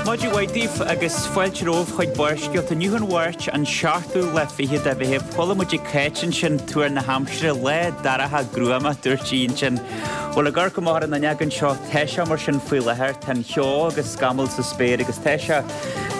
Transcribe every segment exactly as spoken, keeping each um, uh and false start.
Maidin mhaith daoibh agus fáilte romhaibh chuig Barrscéalta. Inniu an Mháirt an seachtú lá fichead de Mheitheamh. Chuala muid ag Cáit ansin tuar na haimsire, lá dorcha gruama, dúirt sí ansin. Bhuel, ag amharc amach ar an fhuinneog anseo, tá sé mar sin faoi láthair, tá an cheo agus scamaill sa spéir agus tá sé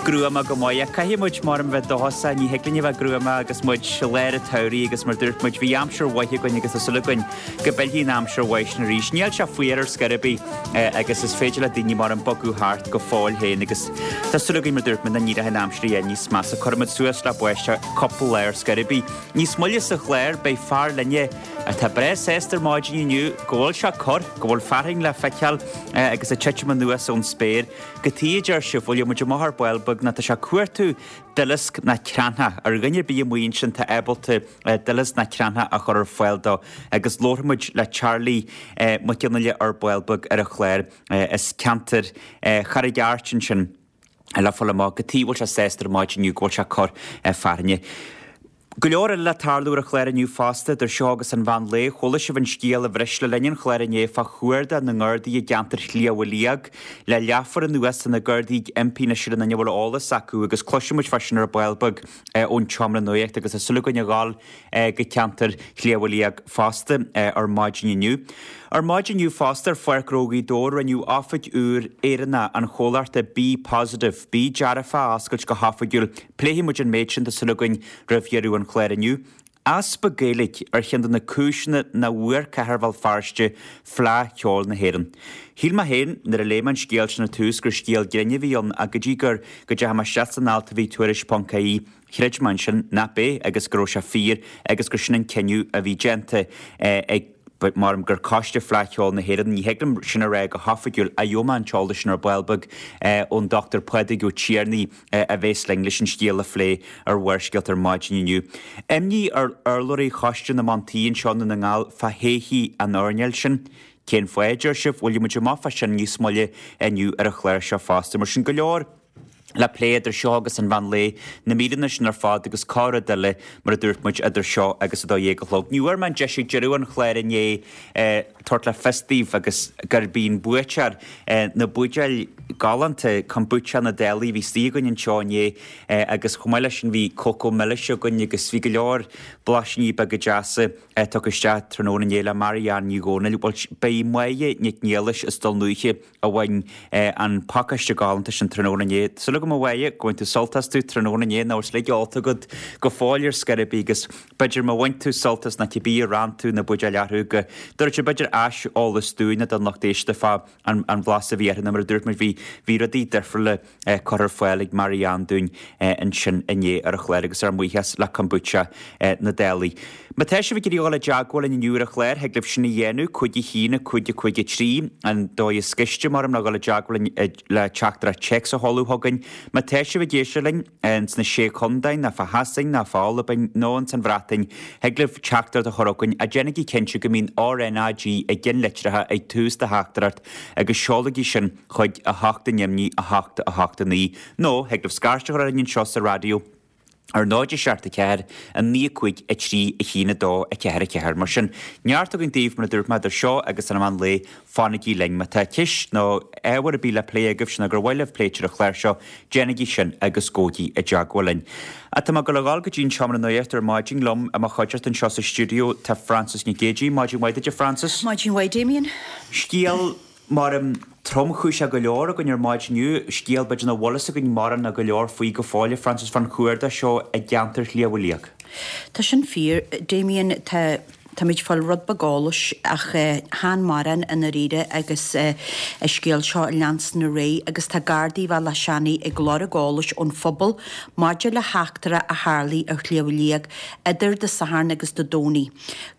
gruama go maith. Ach caithfidh muid mar a bheith dóchasach, ní thig linn a bheith gruama agus muid i lár an tsamhraidh agus mar dúirt muid bhí aimsir mhaith againn agus tá súil againn go bhfillfidh an aimsir mhaith sin arís. Níl sé fuar ar scor ar bith agus is féidir le daoine mar an bogadh thart go fóill féin agus tá súil againn mar dúirt muid go n-éireoidh an aimsir a níos measa. Cuirfimid suas le báisteach cúpla lá ar scor ar bith. Níos moille sa chlár beidh fear linne atá breá sásta ar maidin inniu go bhfuil sé corr, go bhfuil fearthainn le feiceáil agus ag titim anuas ón spéir. Cad chuige a deir sibh bhfuil muid amach ar ball beag ná tá sé ag cuartú duileasc ná cranncha ar dhuine ar bith amuigh ansin atá ábalta duileasc ná cranncha a chur ar fáil dó agus labharfaidh muid le Charlie Mac Fhionnghaile ar ball beag ar an chlár as ceantar Charraig Airt ansin le fáil amach cad chuige a bhfuil sé sásta ar maidin inniu go bhfuil sé ag cur fearthainne. Go leor eile le tarlú ar an chlár inniu fosta, idir seo agus an mheán lae, chuala sibh an scéal a bhris le linn an chláir inné fá chuardach na nGardaí i gceantar Shliabh Liag. Le leathuair anuas tá na Gardaí ag impí anois ar aon duine a bhfuil eolas acu agus cloisfidh muid fá sin ar ball beag ón tseomra nuachta agus tá súil againn a ghabháil go ceantar Shliabh Liag fosta ar maidin inniu. Ar maidin inniu fosta ar Pháirc Ghnó Ghaoth Dobhair rinneadh oifig úr Éireannach an chomhlachta Be Positive, Bí Dearfach a oscailt go hoifigiúil. Pléifidh muid an méid sin tá súil againn roimh dheireadh an chláir inniu. Easpa Gaeilge ar cheann de na cúiseanna nach bhfuair Cathair Bhéal Feirste Fleadh Cheoil na hÉireann. Shíl mé féin nuair a léigh mé an scéal sin ar tús gur scéal grinn a bhí ann ach go dtí gur go dteachaigh mé isteach san alt a bhí tuairisc ponc ie chreid mé ansin nach b'é agus go raibh sé fíor agus gur sin an cinneadh a bhí déanta ag mar gur coiste Fleadh Cheoil na hÉireann ní thig liom sin a rá go hoifigiúil a gheobhaidh mé an t-eolas sin ar ball beag ón Dr Pádraig Ó Tiarnaigh a bheas linn leis an scéal a phlé ar Bharrscéalta ar maidin inniu. Imní ar urlabhraí Choiste na mBan Tí anseo i nDún na nGall fá thodhchaí an airneáil sin. Cén fáth a deir sibh bhfuil muid amach fá sin níos moille inniu ar an chlár seo fosta mar sin go leor le plé idir seo agus an mheán lae na míreanna sin ar fad agus corr-rud eile mar a dúirt muid idir seo agus a dó dhéag a chlog. Ní bhfuair mé an deis ag deireadh an chláir inné tabhairt le fios daoibh agus gurb í an buaiteoir na buidéil galánta kombucha na Dálaí a bhí istigh againn anseo inné agus chomh maith leis sin bhí cócó milis againn agus bhí go leor blaisíní beaga deasa tugtha isteach tráthnóna inné le Marianne Ní Dhomhnaill. Bhuel beidh Máire Nic Niallais as Dún Lúiche a bhain an pacáiste galánta sin tráthnóna inné. Súil agam a Mháire go bhain tú sult astu tráthnóna inné nó is uilig ólta agat go fóill ar scor ar bith agus b'fhéidir má bhain tú sult as na cibé a rann tú na buidéil orthu go dtabharfaidh b'fhéidir aiseolas dúinne don lucht éisteachta fá an an bhlas a bhí orthu mar a dúirt muid bhí bhí rudaí difriúla curtha ar fáil ag Marianne dúinn ansin inné ar an chlár agus ár mbuíochas le kombucha na Dálaí. Má tá sibh ag iarraidh dul i dteagmháil linn inniu ar an chlár, thig libh sin a dhéanamh, cúig a haon, cúig a cúig a trí, an dóigh is gaiste mar ná dul i dteagmháil linn le teachtaireacht téacs a sheoladh chugainn. Má tá sibh ag éisteacht linn ins na sé chontae ná fá Shasain ná fá Albain nó ins an Bhreatain, thig libh teachtaireacht a chur chugainn ach déanaigí cinnte go mbíonn RNAG i gceannlitreacha ag tús do theachtaireacht agus seolaigí sin chuig a hocht a neamhní a hocht a hocht a naoi nó thig libh scairt a chur orainn anseo sa raidió ar náid a seacht a ceathair a naoi a cúig a trí a haon a dó a ceathair a ceathair. Mar sin, neart againn daoibh mar a dúirt mé idir seo agus an meán lae fanaigí linn. Má tá ceist nó ábhar ar bith le plé agaibh sin gur mhaith libh pléite ar an chlár seo, déanaigí sin agus gabhaigí i dteagmháil linn. Ach tá mé ag dul a ghabháil go dtí an seomra nuachta ar maidin liom i mo chuideachta anseo sa stiúideo tá Frances Nic Géadaigh. Maidin mhaith duit a Frances. Maidin mhaith Damien. Scéal mar um, tromchúiseach go leor againn ar maidin inniu, scéal b'fhéidir nach bhfuil fhios againn mórán ná go leor faoi go fóill, Frances fán chuardach seo i gceantar Shliabh Liag. Tá sin fíor, Damien, tá Táimid fáil rud beag eolais ach chan mórán i ndáiríre agus an scéal seo ag leanstan ar aghaidh agus tá Gardaí Bhealach Seanaidh ag lorg eolais ón phobal maidir le heachtra a tharlaigh ar Shliabh Liag idir Dé Sathairn agus Dé Domhnaigh.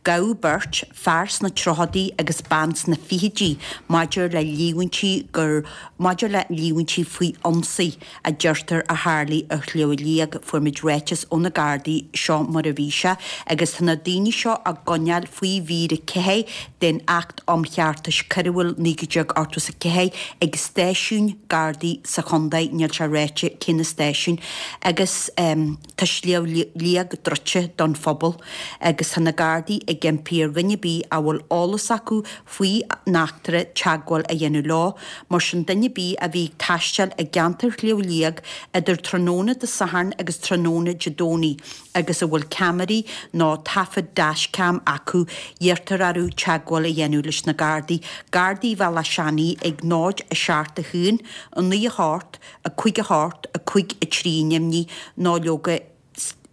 Gabhadh beirt, fear sna tríochaidí agus bean sna fichidí maidir le líomhaintí gur maidir le líomhaintí faoi ionsaí a deirtear a tharlaigh ar Shliabh Liag. Fuair muid ráiteas ó na Gardaí seo mar a bhí sé agus tá na daoine seo á gcoinneáil choinneáil faoi mhír a ceathair den Acht um Cheartas Coiriúil naoi déag ochtó is a ceathair ag stáisiún Gardaí sa chontae, níl sé ráite cé na stáisiúin, agus tá Sliabh Liag druidte don phobal agus tá na Gardaí ag impí ar dhuine ar bith a bhfuil eolas acu faoi an eachtra teagmháil a dhéanamh leo. Mar sin duine ar bith a bhí ag taisteal i gceantar Shliabh Liag idir tráthnóna Dé Sathairn agus tráthnóna Dé Domhnaigh agus a bhfuil ceamaraí nó taifead dashcam acu, iarrtar orthu teagmháil a dhéanamh leis na Gardaí. Gardaí Bhealach Seanaidh ag náid a seacht a haon, a naoi a hocht, a cúig a hocht, a cúig a trí ainmnigh nó leoga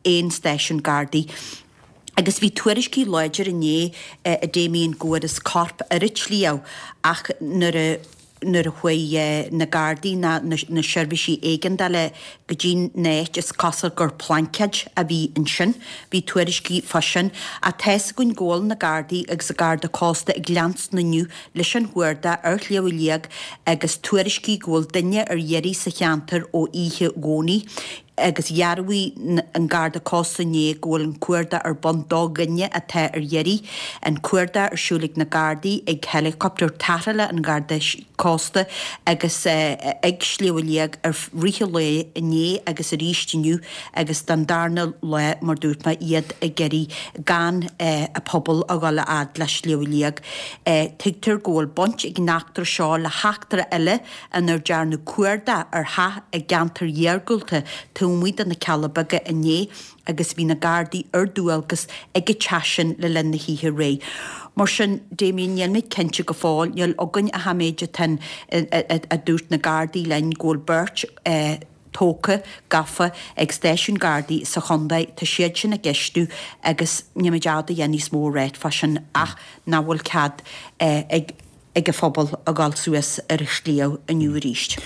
aon stáisiún Gardaí. Agus bhí tuairiscí láidir inné a Damien go bhfuarthas corp ar an tsliabh ach nuair a nuair a chuaigh na Gardaí ná na seirbhísí éigeandála go dtí an áit is cosúil gur plaincéid a bhí ansin. Bhí tuairiscí fá sin. Ach tá's againn go bhfuil na Gardaí agus an Garda Cósta ag leanstan inniu leis an chuardach ar Shliabh Liag agus tuairiscí go bhfuil duine ar iarraidh sa cheantar ó oíche Dhomhnaigh. Agus dhearbhaigh an Garda Cósta inné go bhfuil an cuardach ar bun do dhuine atá ar iarraidh. An cuardach ar siúl ag na Gardaí, ag héileacaptar tarrthála an Gharda Cósta agus ag Sliabh Liag i rith an lae inné agus arís inniu agus don darna lá, mar dúirt mé, iad ag iarraidh gan an pobal a dhul a fhad le Sliabh Liag. Tuigtear go bhfuil baint ag an eachtra seo le heachtra eile inar dearnadh cuardach ar theach i gceantar iargúlta taobh amuigh de na Cealla Beaga inné agus bhí na Gardaí ar dualgas ag an teach sin le linn na hoíche aréir. Mar sin, Damien, níl mé cinnte go fóill, níl againn ach an méid atá a dúirt na Gardaí linn go bhfuil beirt tógtha, gafa ag stáisiún Gardaí sa chontae, tá siad sin á gceistiú agus níl muid ábalta a dhath níos mó a ráit fá sin ach nach bhfuil cead ag ag an phobal a dhul suas ar an sliabh inniu arís.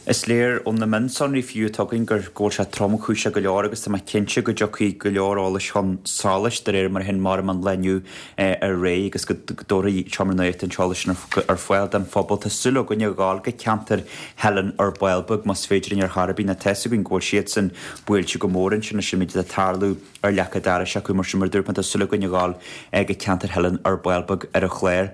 Is léir ó na mionsonraí fiú atá againn gur go bhfuil sé tromchúiseach go leor agus tá mé cinnte go dtiocfaidh go leor eolais chun solais de réir mar a théann mar an lá inniu ar aghaidh agus go dtabharfaidh Seomra Nuachta an t-eolas sin ar fáil don phobal. Tá súil againn a ghabháil go ceantar Theilinn ar ball beag más féidir linn ar chor ar bith. Nó tá's againn go bhfuil siadsan buailte go mór ansin leis an méid atá ag tarlú ar leac an dorais acu mar sin mar a dúirt mé tá súil againn a ghabháil go ceantar Theilinn ar ball beag ar an chlár.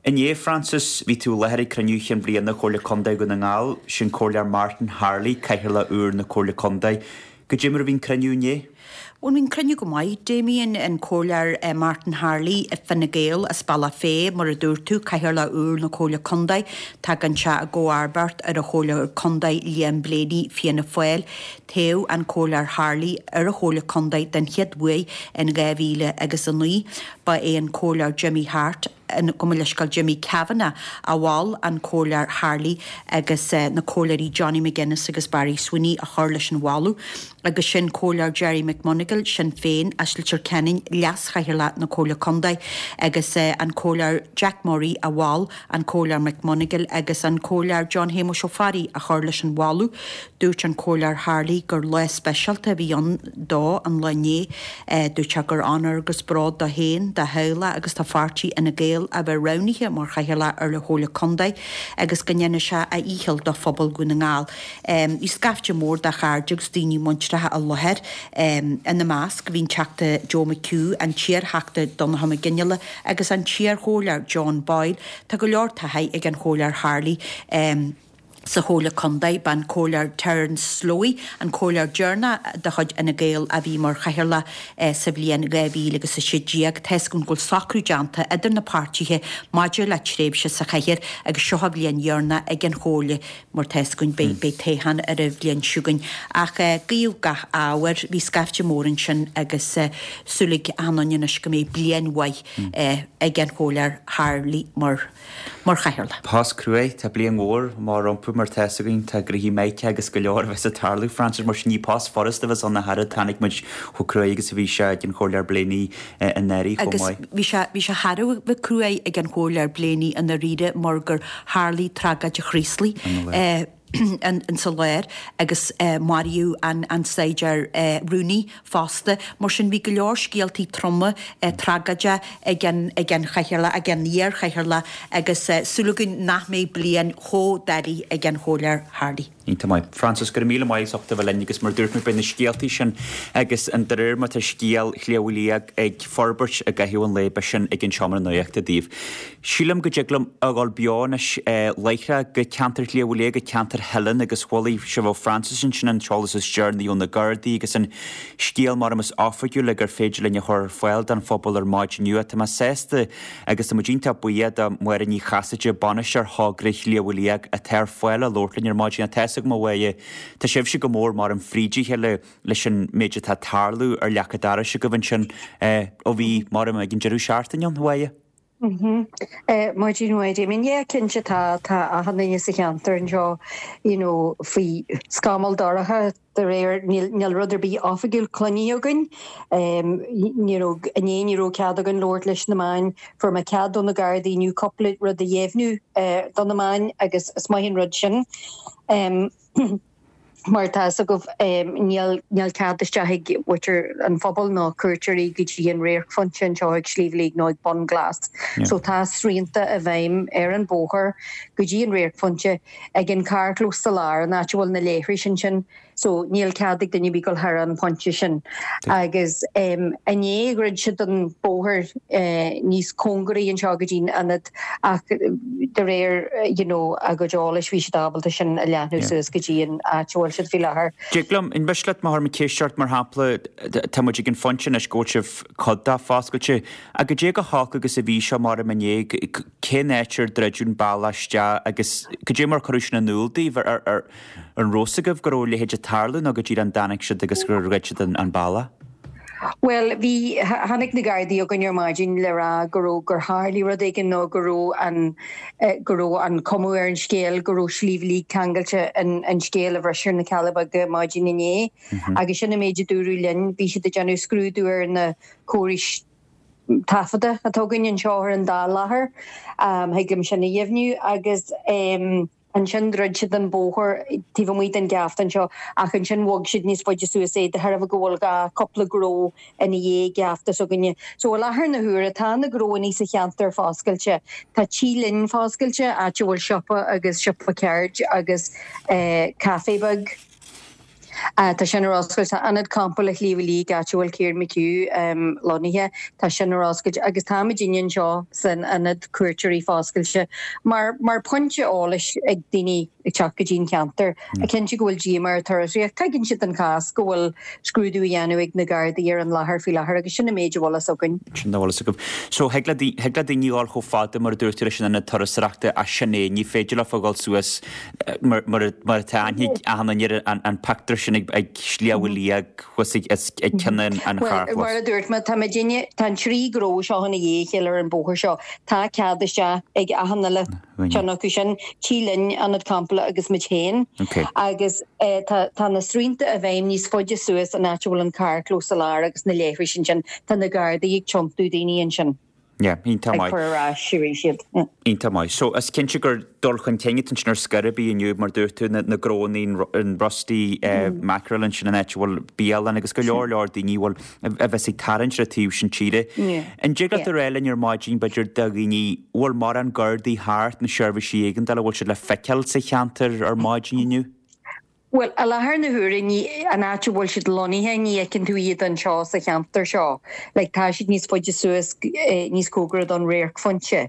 Inné, Frances, bhí tú i láthair ag cruinniú chinn bliana Chomhairle Contae Dhún na nGall, sin Comhairleoir Martin Harley, Cathaoirleach úr na Comhairle Contae. Goidé mar a bhí an cruinniú inné? Bhuel, bhí an cruinniú go maith. Damien, an Comhairleoir Martin Harley, Fine Gael as Bealach Féich, mar a dúirt tú, Cathaoirleach úr na Comhairle Contae. Tagann sé i gcomharbacht ar an Chomhairleoir Contae Liam Blaney, Fianna Fáil. Toghadh an Comhairleoir Harley ar an Chomhairle Contae den chéad uair in dhá mhíle agus a naoi. Ba é an Comhairleoir Jimmy Hart, gabh mo leithscéal Jimmy Kavanagh a mhol an Comhairleoir Harley agus na Comhairleoirí Johnny McGuinness agus Barry Sweeney a chur leis an mholadh agus sin Comhairleoir Gerry McMonagle, Sinn Féin, as Leitir Ceanainn, Leas-Chathaoirleach na Comhairle Contae agus an Comhairleoir Jack Murray a mhol an Comhairleoir McMonagle agus an Comhairleoir John Shéamuis Ó Fearraigh a chur leis an mholadh. Dúirt an Comhairleoir Harley gur lá speisialta a bhí ann dó an lá inné. Dúirt sé gur onóir agus bród dó féin, dá theaghlach agus dá pháirtí Fhine Gael a bheith roghnaithe mar Chathaoirleach ar an Chomhairle Contae agus go ndéanfaidh sé a dhícheall do phobal Dhún na nGall. Bhí scaifte mór de chairde agus daoine muinteartha i láthair. Ina measc bhí an Teachta Joe McHugh, an t-iarTheachta Donnchadh Mac Fhionnghaile agus an t-iarChomhairleoir John Boyle. Tá go leor taithí ag an Chomhairleoir Harley sa Chomhairle Contae. Ba an Comhairleoir Terence Slowey an comhairleoir deireanach de chuid Fhine Gael a bhí mar chathaoirleach sa bhliain dhá mhíle agus a sé déag. Tá's againn go bhfuil socrú déanta idir na páirtithe maidir le tréimhse sa chathaoir agus seo an bhliain dheireanach ag an Chomhairle mar tá's againn beidh beidh toghchán ar an bhliain seo chugainn. Ach guíodh gach ádh air, bhí scaifte mór ansin agus súil ag achan duine anois go mbeidh bliain mhaith ag an Chomhairleoir Harley mar mar chathaoirleach. Post cruaidh, tá bliain mhór amach rompu mar tá's againn, tá gnoithí maithe agus go leor a bheas ag tarlú, Frances, mar sin ní post furasta a bheas ann ach oiread, chonaic muid chomh cruaidh agus a bhí sé ag an Chomhairleoir Blaney anuraidh chomh Agus maith. bhí sé, bhí sé thar a bheith cruaidh ag an Chomhairleoir Blaney i ndáiríre mar gur tharlaigh tragóid Chraoslaigh insa lár agus maraíodh an an saighdiúir Rooney fosta. Mar sin bhí go leor scéaltaí troma tragóide ag an ag an chathaoirleach, ag an iar-chathaoirleach agus súil againn nach mbeidh bliain chomh doiligh ag an Chomhairleoir Harley. Iontach maith. Frances, go raibh míle maith as ucht a bheith linn agus mar dúirt mé beidh na scéaltaí sin agus an de réir mar tá scéal Shliabh Liag ag forbairt i gcaitheamh an lae beidh sin ag an Seomra Nuachta daoibh. Sílim go dtig liom a dhul beo anois láithreach go ceantar Shliabh Liag, go ceantar Theilinn agus chuala sibh ó Frances ansin an t-eolas is deireanaí ó na Gardaí agus an scéal mar is oifigiúla gur féidir linn a chur ar fáil don phobal ar maidin inniu. Tá mé sásta agus tá muid iontach buíoch do Mháire Ní Chasaide, bainisteoir thogra Shliabh Liag atá ar fáil le labhairt linn ar maidin. Tá a fhios agam a Mháire, tá sibhse go mór mar an fríd a chéile leis an méid atá ag tarlú ar leac an dorais agaibh ansin ó bhí mar ag an deireadh seachtaine ann, a Mháire. Maidin mhaith Damien, yeah cinnte tá tá achan duine sa cheantar anseo you know faoi scamall dorcha de réir níl níl rud ar bith oifigiúil cluinte againn um, you know inné ní raibh cead againn labhairt leis na meáin fuair mé cead ó na Gardaí inniu cúpla rud a dheimhniú uh, do na meáin agus is maith an rud sin. Um, mar tá go um, níl níl cead isteach ag muintir an phobal ná cuairteoirí go dtí an radharcphointe anseo ag Sliabh Liag nó ag Bun Glas. Yeah. So tá srianta i bhfeidhm ar an bóthar go dtí an radharcphointe ag an carrchlós sa lár an áit a bhfuil na leithris ansin, so níl cead ag duine gabháil thar an pointe sin. Agus um, inné dhruid siad an bóthar uh, níos cóngaraí anseo go dtí an ionad ach de réir you know, a gcuid eolais bhí siad ábalta sin a leathnú suas go dtí an áit a bhfuil siad faoi láthair. Dtig liom an miste leat má tharla ceist mar shampla tá muid ag an phointe anois go bhfuil sibh cuid de foscailte a go dé go holc agus a bhí seo mar inné cén áit ar druideadh an bealach isteach agus go dé mar cuireadh sin in iúl daoibh ar ar an raibh a fhios agaibh go raibh a leithéid ag tarlú nó go dtí an dtáinig siad agus gur dhruid siad an bealach. Well bhí tháinig na Gardaí chugainn ar maidin le rá go raibh gur tharla rud éigin nó go raibh an eh, go raibh an cuma ar an scéal go raibh Sliabh Liag ceangailte an, an scéal a bhris ar na Cealla Beaga maidin inné mm -hmm. agus sin an méid a dúradh linn bhí siad ag déanamh scrúdú ar na córais taifeadta atá againn anseo ar an dá láthair um, thuigim sin a dheimhniú agus um, ansin dhruid siad an bóthar taobh amuigh den gheafta anseo ach ansin bhog siad níos faide suas é de thairbhe go bhfuil dhá cúpla gnó ina dhiaidh geafta s'againne. So i láthair na huaire tá na gnóanna sa cheantar foscailte. Tá Tí Linn foscailte áit a bhfuil siopa agus siopa ceirde agus eh, caife beag. Uh, tá sin ar oscailt tá ionad campála Shliabh Liag áit a bhfuil Kieran McHugh um, lonnaithe tá sin ar oscailt agus táimid anseo san ionad cuairteoirí foscailte mar mar pointe eolais ag daoine ag teacht go dtí an ceantar mm. a cinnte go bhfuil díomá ar turasóirí tuigeann siad an cás go bhfuil scrúdú á dhéanamh ag na Gardaí ar an láthair faoi láthair agus sin an méid a bhfuil fhios againn. Sin a bhfuil fhios agaibh. So thig le daoine dul chomh fada mar a dúirt leis an turasóireachta a sin é ní féidir le fágáil suas mar mar atá achan duine an pictiúr sin ag ag Sliabh Liag thuas ag cionn an charrchlós. Mar a dúirt mé tá duine tá an trí gnó seo ina dhiaidh a chéile ar an bóthar seo tá cead isteach ag achan uile ceann acu sin Tí Linn ionad campála agus muid féin agus eh, tá na srianta i bhfeidhm níos faide suas an áit a bhfuil an carrchlós sa lár agus na leithris ansin tá na Gardaí ag tiontú daoine ansin. Yeah, iontach maith. Ag cur ar ais arís iad. Iontach maith. So is cinnte gur dul chun cinn atá ar scor ar bith inniu mar dúirt tú na, na gnónna an Rusty uh, mm. Mackerel ansin an áit a bhfuil bialann agus go leor leor daoine bhfuil a bheas ag tarraingt ar taobh sin tíre. An dtig leat a rá linn ar maidin b'fhéidir do dhaoine bhfuil mórán Gardaí thart na seirbhísí éigeandála bhfuil siad le feiceáil sa cheantar ar maidin inniu? Well, i láthair na huaire ní an áit a bhfuil siad lonnaithe ní fheiceann tú iad anseo sa cheantar seo. Like, tá siad níos faide suas eh, níos cóngaraí don radharcphointe.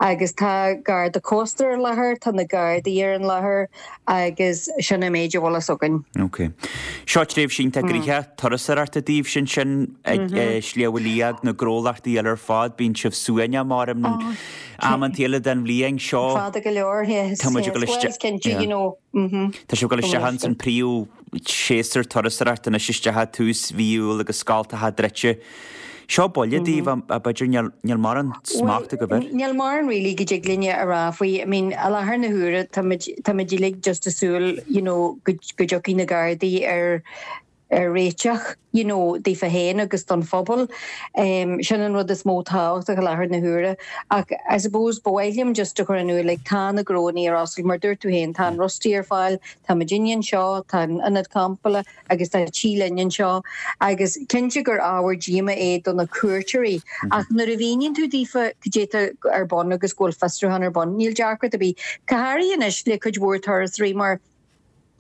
Agus tá garda cósta ar láthair, tá na Gardaí ar an láthair agus sin an méid a bhfuil fhios againn. Ok. Seo tréimhse iontach gnoitheach turasóireachta daoibh sin sin ag eh, Sliabh Liag na gnólachtaí eile ar fad bíonn sibh suaimhneach mar amanta eile den bhliain seo. Fada go leor Tá muid ag dul isteach- cinnte, you know. mhm. Tá sibh ag dul isteach an príomhshéasúr turasóireachta anois isteach tús mhí Iúil agus scoltacha druidte. Seo buille daoibh a b'fhéidir níl níl mórán smacht agaibh air. Níl mórán really go dtig linne a rá faoi I mean i láthair na huaire tá muid uilig just ag súil you know, go go dtiocfaidh na Gardaí ar ar réiteach you know, daofa féin agus don phobal. Um, sin an rud is mó tábhachtach i láthair na huaire ach I suppose ba mhaith liom just a chur in iúl like, tá na gnónna ar oscailt mar dúirt tú féin tá an Rusty ar fáil, tá muidinne anseo, tá an ionad campála agus tá Tí Linn anseo agus cinnte gur ábhar díomá é do na cuairteoirí ach nuair a mhíníonn tú daofa cad é atá ar bun agus go bhfuil fiosrúchán ar bun, níl deacracht ar bith. Go háirithe anois le cuid mhór turasóirí mar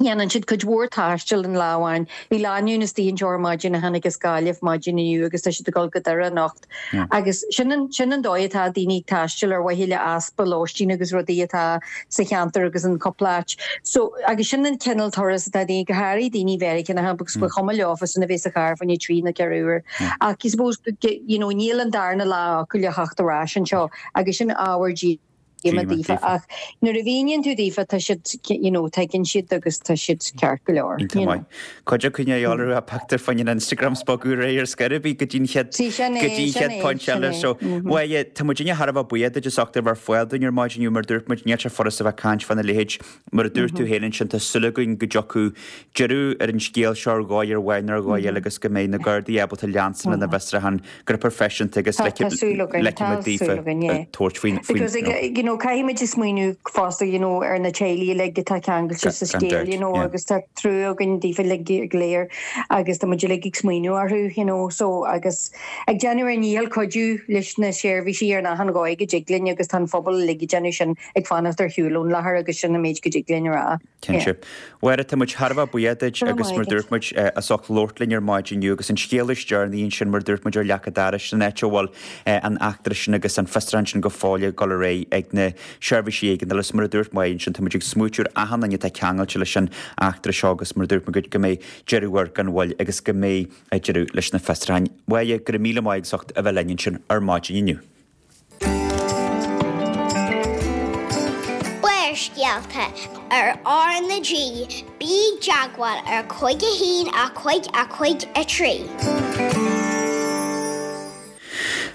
Dhéanann siad cuid mhór taistil in lá amháin. Bhí lánúin istigh anseo ar maidin a tháinig as Gaillimh maidin inniu agus tá siad ag dul go Doire anocht. Agus sin an sin an dóigh atá daoine ag taisteal ar mhaithe le easpa lóistín agus rudaí atá sa cheantar agus in cúpla áit. So agus sin an cineál turas atá daoine, go háirithe daoine Mheiriceánacha agus ba chuma leofa sin a bheith sa charr fá choinne trí nó ceithre uair. Ach I suppose you know níl an darna lá acu le theacht ar ais anseo agus sin ábhar díoma daofa ach nuair a mhíníonn tú daofa tá siad you know tuigeann siad agus tá siad ceart go leor. Iontach maith. Cuid acu ní dhealramh a pictiúr faoin Instagram 's bogadh ar aghaidh ar scor ar bith go dtí'n chéad Sí, sin é, go dtí'n sin chéad é, point sin eile. é. So bhuel tá muidinne thar a bheith buíoch duit as ucht a bheith ar fáil dúinn ar maidin inniu mar dúirt muid níl sé furast a bheith ag caint fána leithéid mar a dúirt tú féin ansin tá súil againn go dtiocfaidh deireadh ar an scéal seo ar dhóigh ar mhaith nó ar dhóigh eile agus go mbeidh na Gardaí ábalta leanstan lena bhfiosrúchán go proifisiúnta agus Tá tá súil againn, leicfidh tá muid daofa súil againn, yeah. tabhairt faoin faoin Because like, you know, caithfimid smaoineamh fosta you know, ar na teaghlaigh uilig atá ceangailte sa Gan scéal, dabht, you know, yeah. agus tá trua againn daofa uilig go léir agus tá muid uilig ag smaoineamh orthu, you know, so agus ag déanamh ár ndícheall cuidiú leis na seirbhísí ar achan dhóigh go dtig linn agus tá an phobal uilig ag déanamh sin ag fanacht ar shiúl ón láthair agus sin an méid go dtig linn a rá. Cinnte. Mháire, tá muid thar a bheith buíoch duit Go raibh agus maith mar agat. dúirt muid eh, as ucht labhairt linn ar maidin inniu agus an scéal is deireanaí ansin mar dúirt muid ar leac an dorais san áit a bhfuil eh, an eachtra sin agus an fiosrúchán sin go fóill ag dul ar aghaidh ag na seirbhísí éigeandála agus mar a dúirt muid ansin tá muid ag smaoitiú ar achan duine atá ceangailte leis an eachtra seo agus mar a dúirt muid go mbeidh deireadh air gan mhoill agus go mbeidh deireadh leis na fiosrúcháin. Mháire, go raibh míle maith as ucht a bheith linn ansin ar maidin inniu. Barrscéalta ar R na G, bí i dteagmháil ar cúig a haon a cúig a cúig a trí.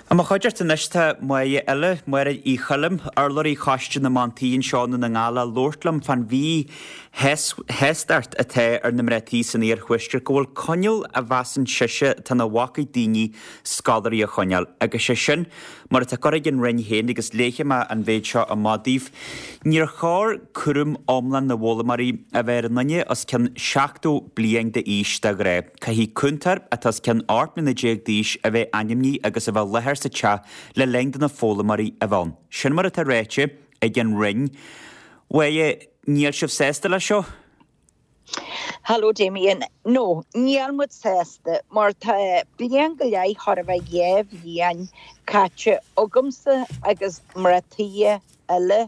I mo chuideachta anois tá Máire eile, Máire Uí Choilm, urlabhraí Choiste na mBan Tí anseo i nDún na nGall le labhairt liom fán mhíshástacht atá ar na mná tí san iarthuaisceart go bhfuil coinníoll a mheasann sise atá ina bhac ag daoine scoláirí a choinneáil. Agus sé sin mar atá curtha ag an Roinn féin agus léifidh mé an mhéid seo amach daoibh. Níor chóir cúram iomlán na bhfoghlaimeoirí a bheith ar an nduine os cionn seachtó bliain d'aois de ghnáth. Caithfidh cúntóir atá os cionn ocht mbliana déag d'aois a bheith ainmnithe agus a bheith i láthair sa teach le linn do na foghlaimeoirí a bheith ann. Sin mar atá ráite ag an Roinn. Mháire, níl sibh sásta leis seo? Hello Damien. No, níl muid sásta mar tá bliain go leith chóir a bheith dhá bhliain caite agamsa agus mná tí eile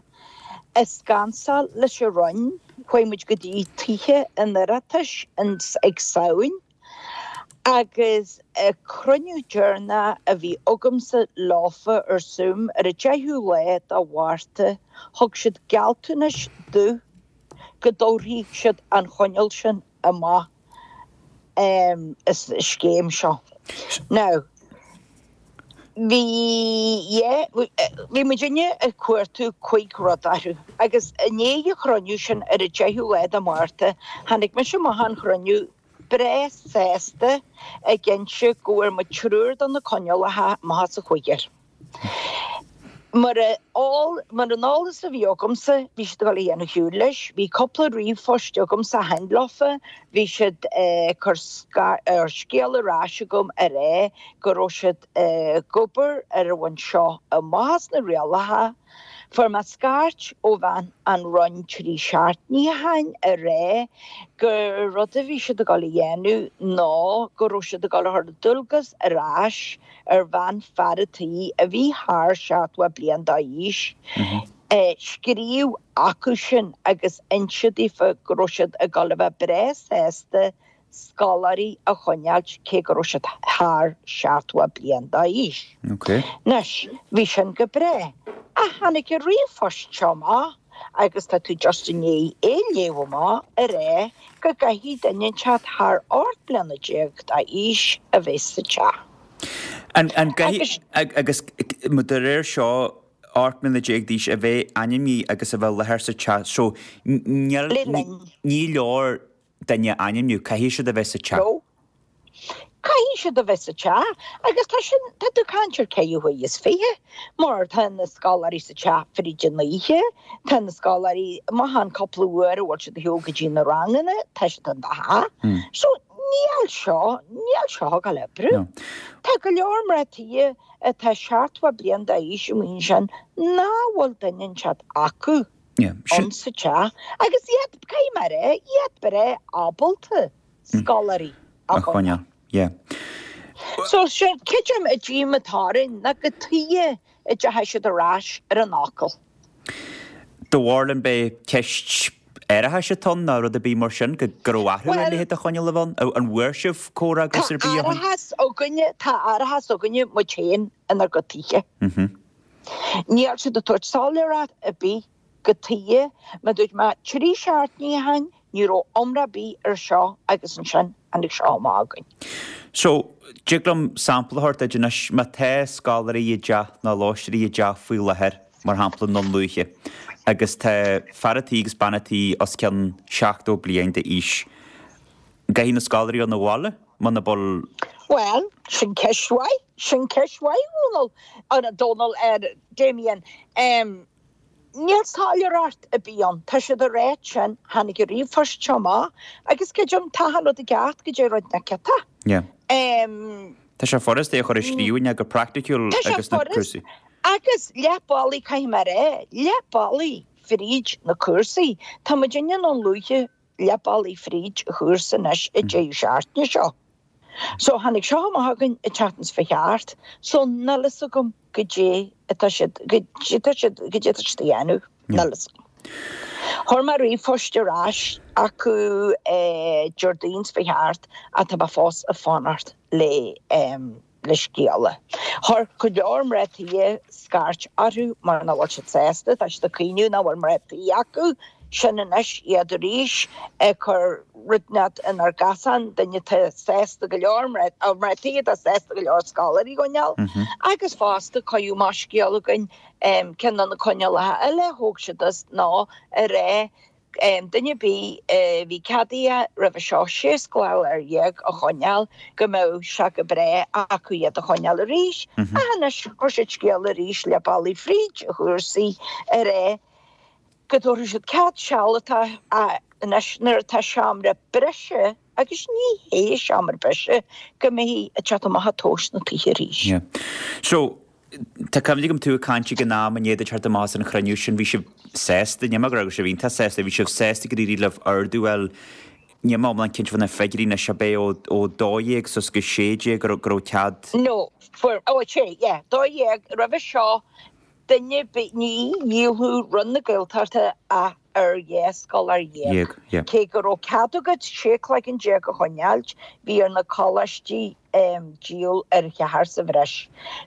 ag scansáil leis an Roinn, chuaigh muid go dtí Tithe an Oireachtais ag Samhain agus cruinniú deireanach a bhí agamsa leofa ar Zoom ar an deichiú lá de Mhárta, thug siad gealltanais domh go dtabharfaidh siad an choinníoll sin amach um, is scéim seo. Now, bhí yeah, bhí muidinne ag cuartú cúig rud orthu agus i ndiaidh an chruinniú sin ar an deichiú lá de Mhárta, tháinig mise amach an chruinniú breá sásta ag inse go bhfuair muid triúr de na coinníollacha amach as an chuigear. Mar all mar an eolas a bhí agamsa, bhí siad ag dul a dhéanamh siúl leis, bhí cúpla ríomhphost agamsa cheana leofa, bhí siad ag cur ar scéal ar ais agam ar é go raibh siad ag obair ar an bhain seo amach as na rialacha. Fuair mé scairt ó bhean an Roinn trí seachtainí ó shin ar é gur rud a bhí siad ag dul a dhéanamh ná go raibh siad ag dul a chur dualgas ar ais ar bhean fear a tí a bhí thar seachtó bliain d'aois. Scríobh acu sin agus inse daofa go raibh siad ag dul a bheith breá sásta scoláirí a choinneáilt cé go raibh siad thar seachtó bliain d'aois. Okay. Anois, bhí sin go breá. Ach tháinig an ríomhphost seo amach agus tá tú just i ndiaidh é léamh amach ar é go gcaithfidh duine teacht thar ocht bliana déag d'aois a bheith sa teach. An, an gcaithfidh, agus de réir seo ocht mbliana déag d'aois a bheith ainmnithe agus a bheith i láthair sa teach, so níl, Le linn. ní leor duine ainmniú, caithfidh siad a bheith sa teach. No. Caithfidh siad a bheith sa teach agus tá sin tá tú ag caint ar ceithre huaire is fiche, mar tá na scoláirí sa teach fríd an oíche, tá na scoláirí amach an cúpla uair a bhfuil siad ag shiúl go dtí na ranganna, tá siad in do theach. So níl seo, níl seo ag dul oibriú. No. Tá go leor mná tí atá seachtó bliain d'aois amuigh ansin nach bhfuil duine inteacht acu. ann sa teach agus iad, caithfidh mé a rá, iad breá ábalta scoláirí a choinneáil. Yeah. So sin creidim an díomá atá orainn ná cad tuige a dteachaidh siad ar ais ar an fhocal. Do bharúil an b'é ceist árachais atá ann nó rud ar bith mar sin go go raibh athrú ar leithéid de choinneáil a bheith ann? An bhfuair sibh comhfhreagras ar bith ó shin? Tá árachas againne, tá árachas againne muid féin inár gcuid tithe. Níl siad ag tabhairt soiléireacht ar bith cad tuige, mar dúirt mé trí seachtainí ó shin ní raibh iomrá ar bith ar seo agus ansin tháinig seo amach againn. So, dtig liom sampla a thabhairt duit anois, má tá scoláirí i dteach nó lóisteoirí i dteach faoi láthair, mar shampla i nDún Lúiche, agus tá fear a' tí agus bean a' tí os cionn seachtó bliain d'aois, an gcaithfidh na scoláirí a dhul 'na bhaile muna bhfuil. Bhuel, sin ceist mhaith, sin ceist mhaith, a Dhónaill, a Dhónaill, a Damien. Níl soiléireacht ar bith ann. Tá siad ag ráit sin, tháinig an ríomhphost seo amach agus creidim tá achan rud i gceart go dtí rud nach ceart. Yeah. Tá sé furasta é a chur i scríbhinn ach go praiticiúil agus na cúrsaí. Agus leath bealaigh, caithfidh mé a rá, leath bealaigh fríd na cúrsaí. Tá muid i nDún Lúiche leath bealaigh fríd an chúrsa anois an deireadh seachtaine seo. So tháinig seo amach againn an tseachtain seo fá cheart, so níl fhios agam goidé atá siad, goidé atá siad, goidé atá siad a dhéanamh, níl fhios agam. Chuir mé ríomhphost ar ais acu Déardaoin seo fá cheart ach tá mé fós ag fanacht le le scéala. Chuir go leor mná tí scairt orthu mar nach bhfuil siad sásta, tá siad ag caoineadh nach bhfuil mná tí acu. Sin anois iad arís ag cur rud inteacht inár gcasán, duine atá sásta go leor, mná tí atá sásta go leor scoláirí a choinneáil. Agus fosta cuireadh amach scéal againn ceann de na coinníollacha eile a thóg siad as ná a rá duine ar bith a bhí ceadaithe roimhe seo sé scoláire dhéag a choinneáil go mbeadh sé go breá acu iad a choinneáil arís. Ach anois chuir siad scéal arís leath bealaigh fríd a chúrsaí a rá go dtabharfaidh siad cead sealadach anois nuair atá seomra breise agus ní hé seomra breise go mbeidh ag teacht amach ag tomhais na tithe arís. Yeah. So, tá cuimhne agam tú ag caint ag an am i ndiaidh duit teacht amach as an chruinniú sin, bhí sibh sásta, níl mé ag rá go raibh sibh iontach sásta, bhí sibh sásta gur éirigh libh ardú a fháil, níl mé iomlán cinnte faoi na figiúirí anois, ab é ó ó dó dhéag suas go sé déag go raibh go raibh cead? No, fuair, ó sé, yeah, dó dhéag, roimhe seo duine ar bith, ní dhíolfadh Roinn na Gaeltachta ach ar dhá scoláire dhéag. Cé go raibh cead agat sé chloigeann déag a choinneáilt, bhí ar na coláistí díol ar cheathrar sa bhreis.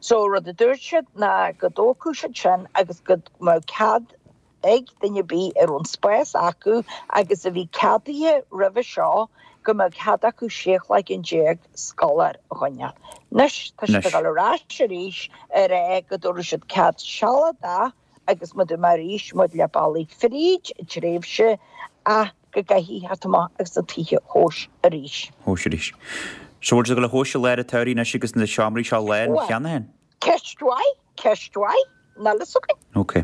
So rud a dúirt siad ná go dtógfadh siad sin agus go mbeadh cead ag duine ar bith a raibh an spás acu agus a bhí ceadaithe roimhe seo go mbeadh cead acu sé chloigeann déag scoláire a choinneáil. Anois tá siad ag dul ar ais arís ag rá go dtabharfaidh siad cead sealadach agus mar a dúirt mé arís muid leath bealaigh fríd an tréimhse ach go gcaithfidh theacht amach agus na tithe a thomhas arís. thomhas arís. So bhfuil siad ag dul a thomhas i lár an tsamhraidh anois agus na seomraí seo lán cheana féin? Ceist mhaith, ceist mhaith. Níl fhios againn. Ok.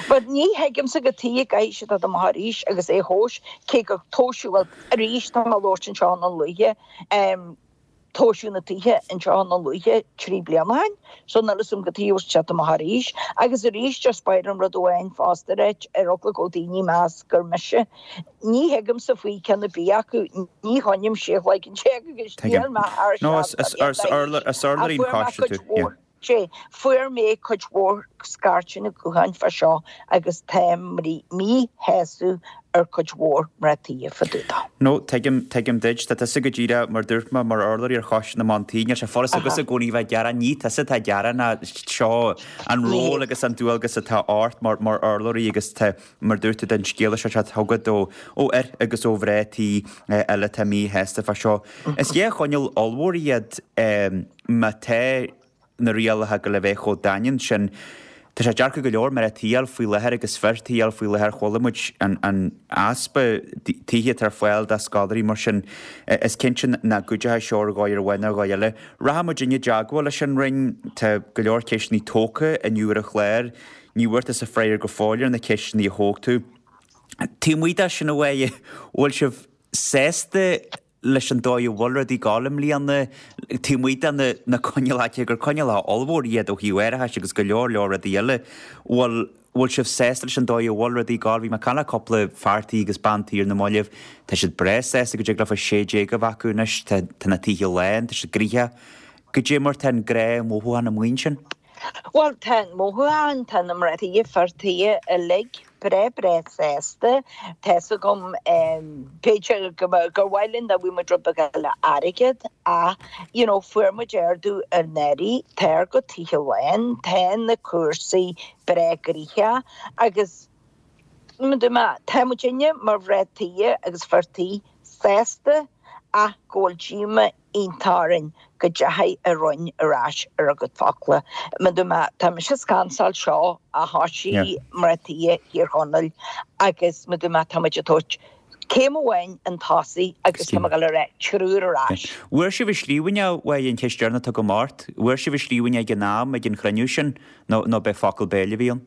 But ní thuigimse cad tuige a gcaithfidh siad dul amach arís agus é a thomhas, cé gur tomhaiseadh, bhuel, arís tá mé ag labhairt anseo i nDún Lúiche, em, tomhaiseadh na tithe anseo i nDún Lúiche trí bliana ó shin, so níl fhios agam cad tuige a bhfuil siad ag teacht amach arís. Agus arís, just ba mhaith liom rud amháin fosta a ráit, ar eagla go daoine ag meas gur mise, ní thuigimse faoi ceann ar bith acu, ní choinním sé chloigeann déag agus níl mé thar No, is, is, is urlár, is urlabhraí an choiste tú, yeah. Sea, fuair mé cuid mhór scairteanna gutháin fá seo agus táim míshásta ar cuid mhór mná tí fá dtaobh dó. No, tuigim, tuigim duit. Tá tusa go díreach, mar dúirt mé, mar urlabhraí ar Choiste na mBan Tí, níl sé furast agatsa i gcónaí bheith ag gearán, ní tusa atá ag gearán ach seo an ról agus an dualgas atá ort mar, mar urlabhraí agus tá, mar dúirt tú, den scéala seo teacht chugat ó, ó fhir agus ó mhná tí eile atá míshásta fá seo. Is dhá choinníoll ollmhór iad má tá na rialacha ag gabháil a bheith chomh daingean sin. Tá sé deacair go leor mná tí a fháil faoi láthair agus fir tí a fháil faoi láthair. Chuala muid an easpa tithe atá ar fáil do scoláirí mar sin. Is cinnte nach gcuideoidh seo ar dhóigh ar bith nó ar dhóigh eile. Rachaidh muid i dteagmháil leis an Roinn. Tá go leor ceisteanna tógtha inniu ar an chlár. Ní bhfuair tusa freagra go fóill ar na ceisteanna a thóg tú. Taobh amuigh de sin a Mháire, bhfuil sibh sásta leis an dóigh a bhfuil rudaí ag gabháil i mbliana, taobh amuigh de na na coinníollacha gur coinníollacha ollmhór iad ó thaobh árachais agus go leor leor rudaí eile, bhfuil bhfuil sibh sásta leis an dóigh a bhfuil rudaí ag gabháil? Bhí mé ag caint le cúpla fear tí agus bean tí ar na mallaibh, tá siad breá sásta go dtig leofa sé déag a bheith acu anois, tá tá na tithe lán, tá siad gnoitheach. Goidé mar tá an gnáthmhothúchán amuigh ansin? Bhuel, tá an mothúchán, tá na mná tí, fir tí uilig breá breá sásta. Tá's agam, b'fhéidir go mba, gur mhaith linn dá bhfaigheadh muid rud beag eile airgead ach, you know, fuair muid ardú anuraidh, tá ár gcuid tithe lán, tá na cúrsaí breá gnoitheach agus tá muidinne mar mhná tí agus fir tí sásta ach go bhfuil díoma iontach orainn go dteachaidh an Roinn ar ais ar a gcuid focla. Tá mise scansáil seo a thoisigh mná tí Thír Chonaill agus tá muid ag tabhairt céim amháin chun tosaigh agus tá mé ag dul a rá triúr ar ais. Bhfuair sibh i scríbhinn é, uaidh an cheist deireanach atá agam ort, bhfuair sibh i scríbhinn ag an am, ag an chruinniú sin, nó nó b'é focal béil a bhí ann?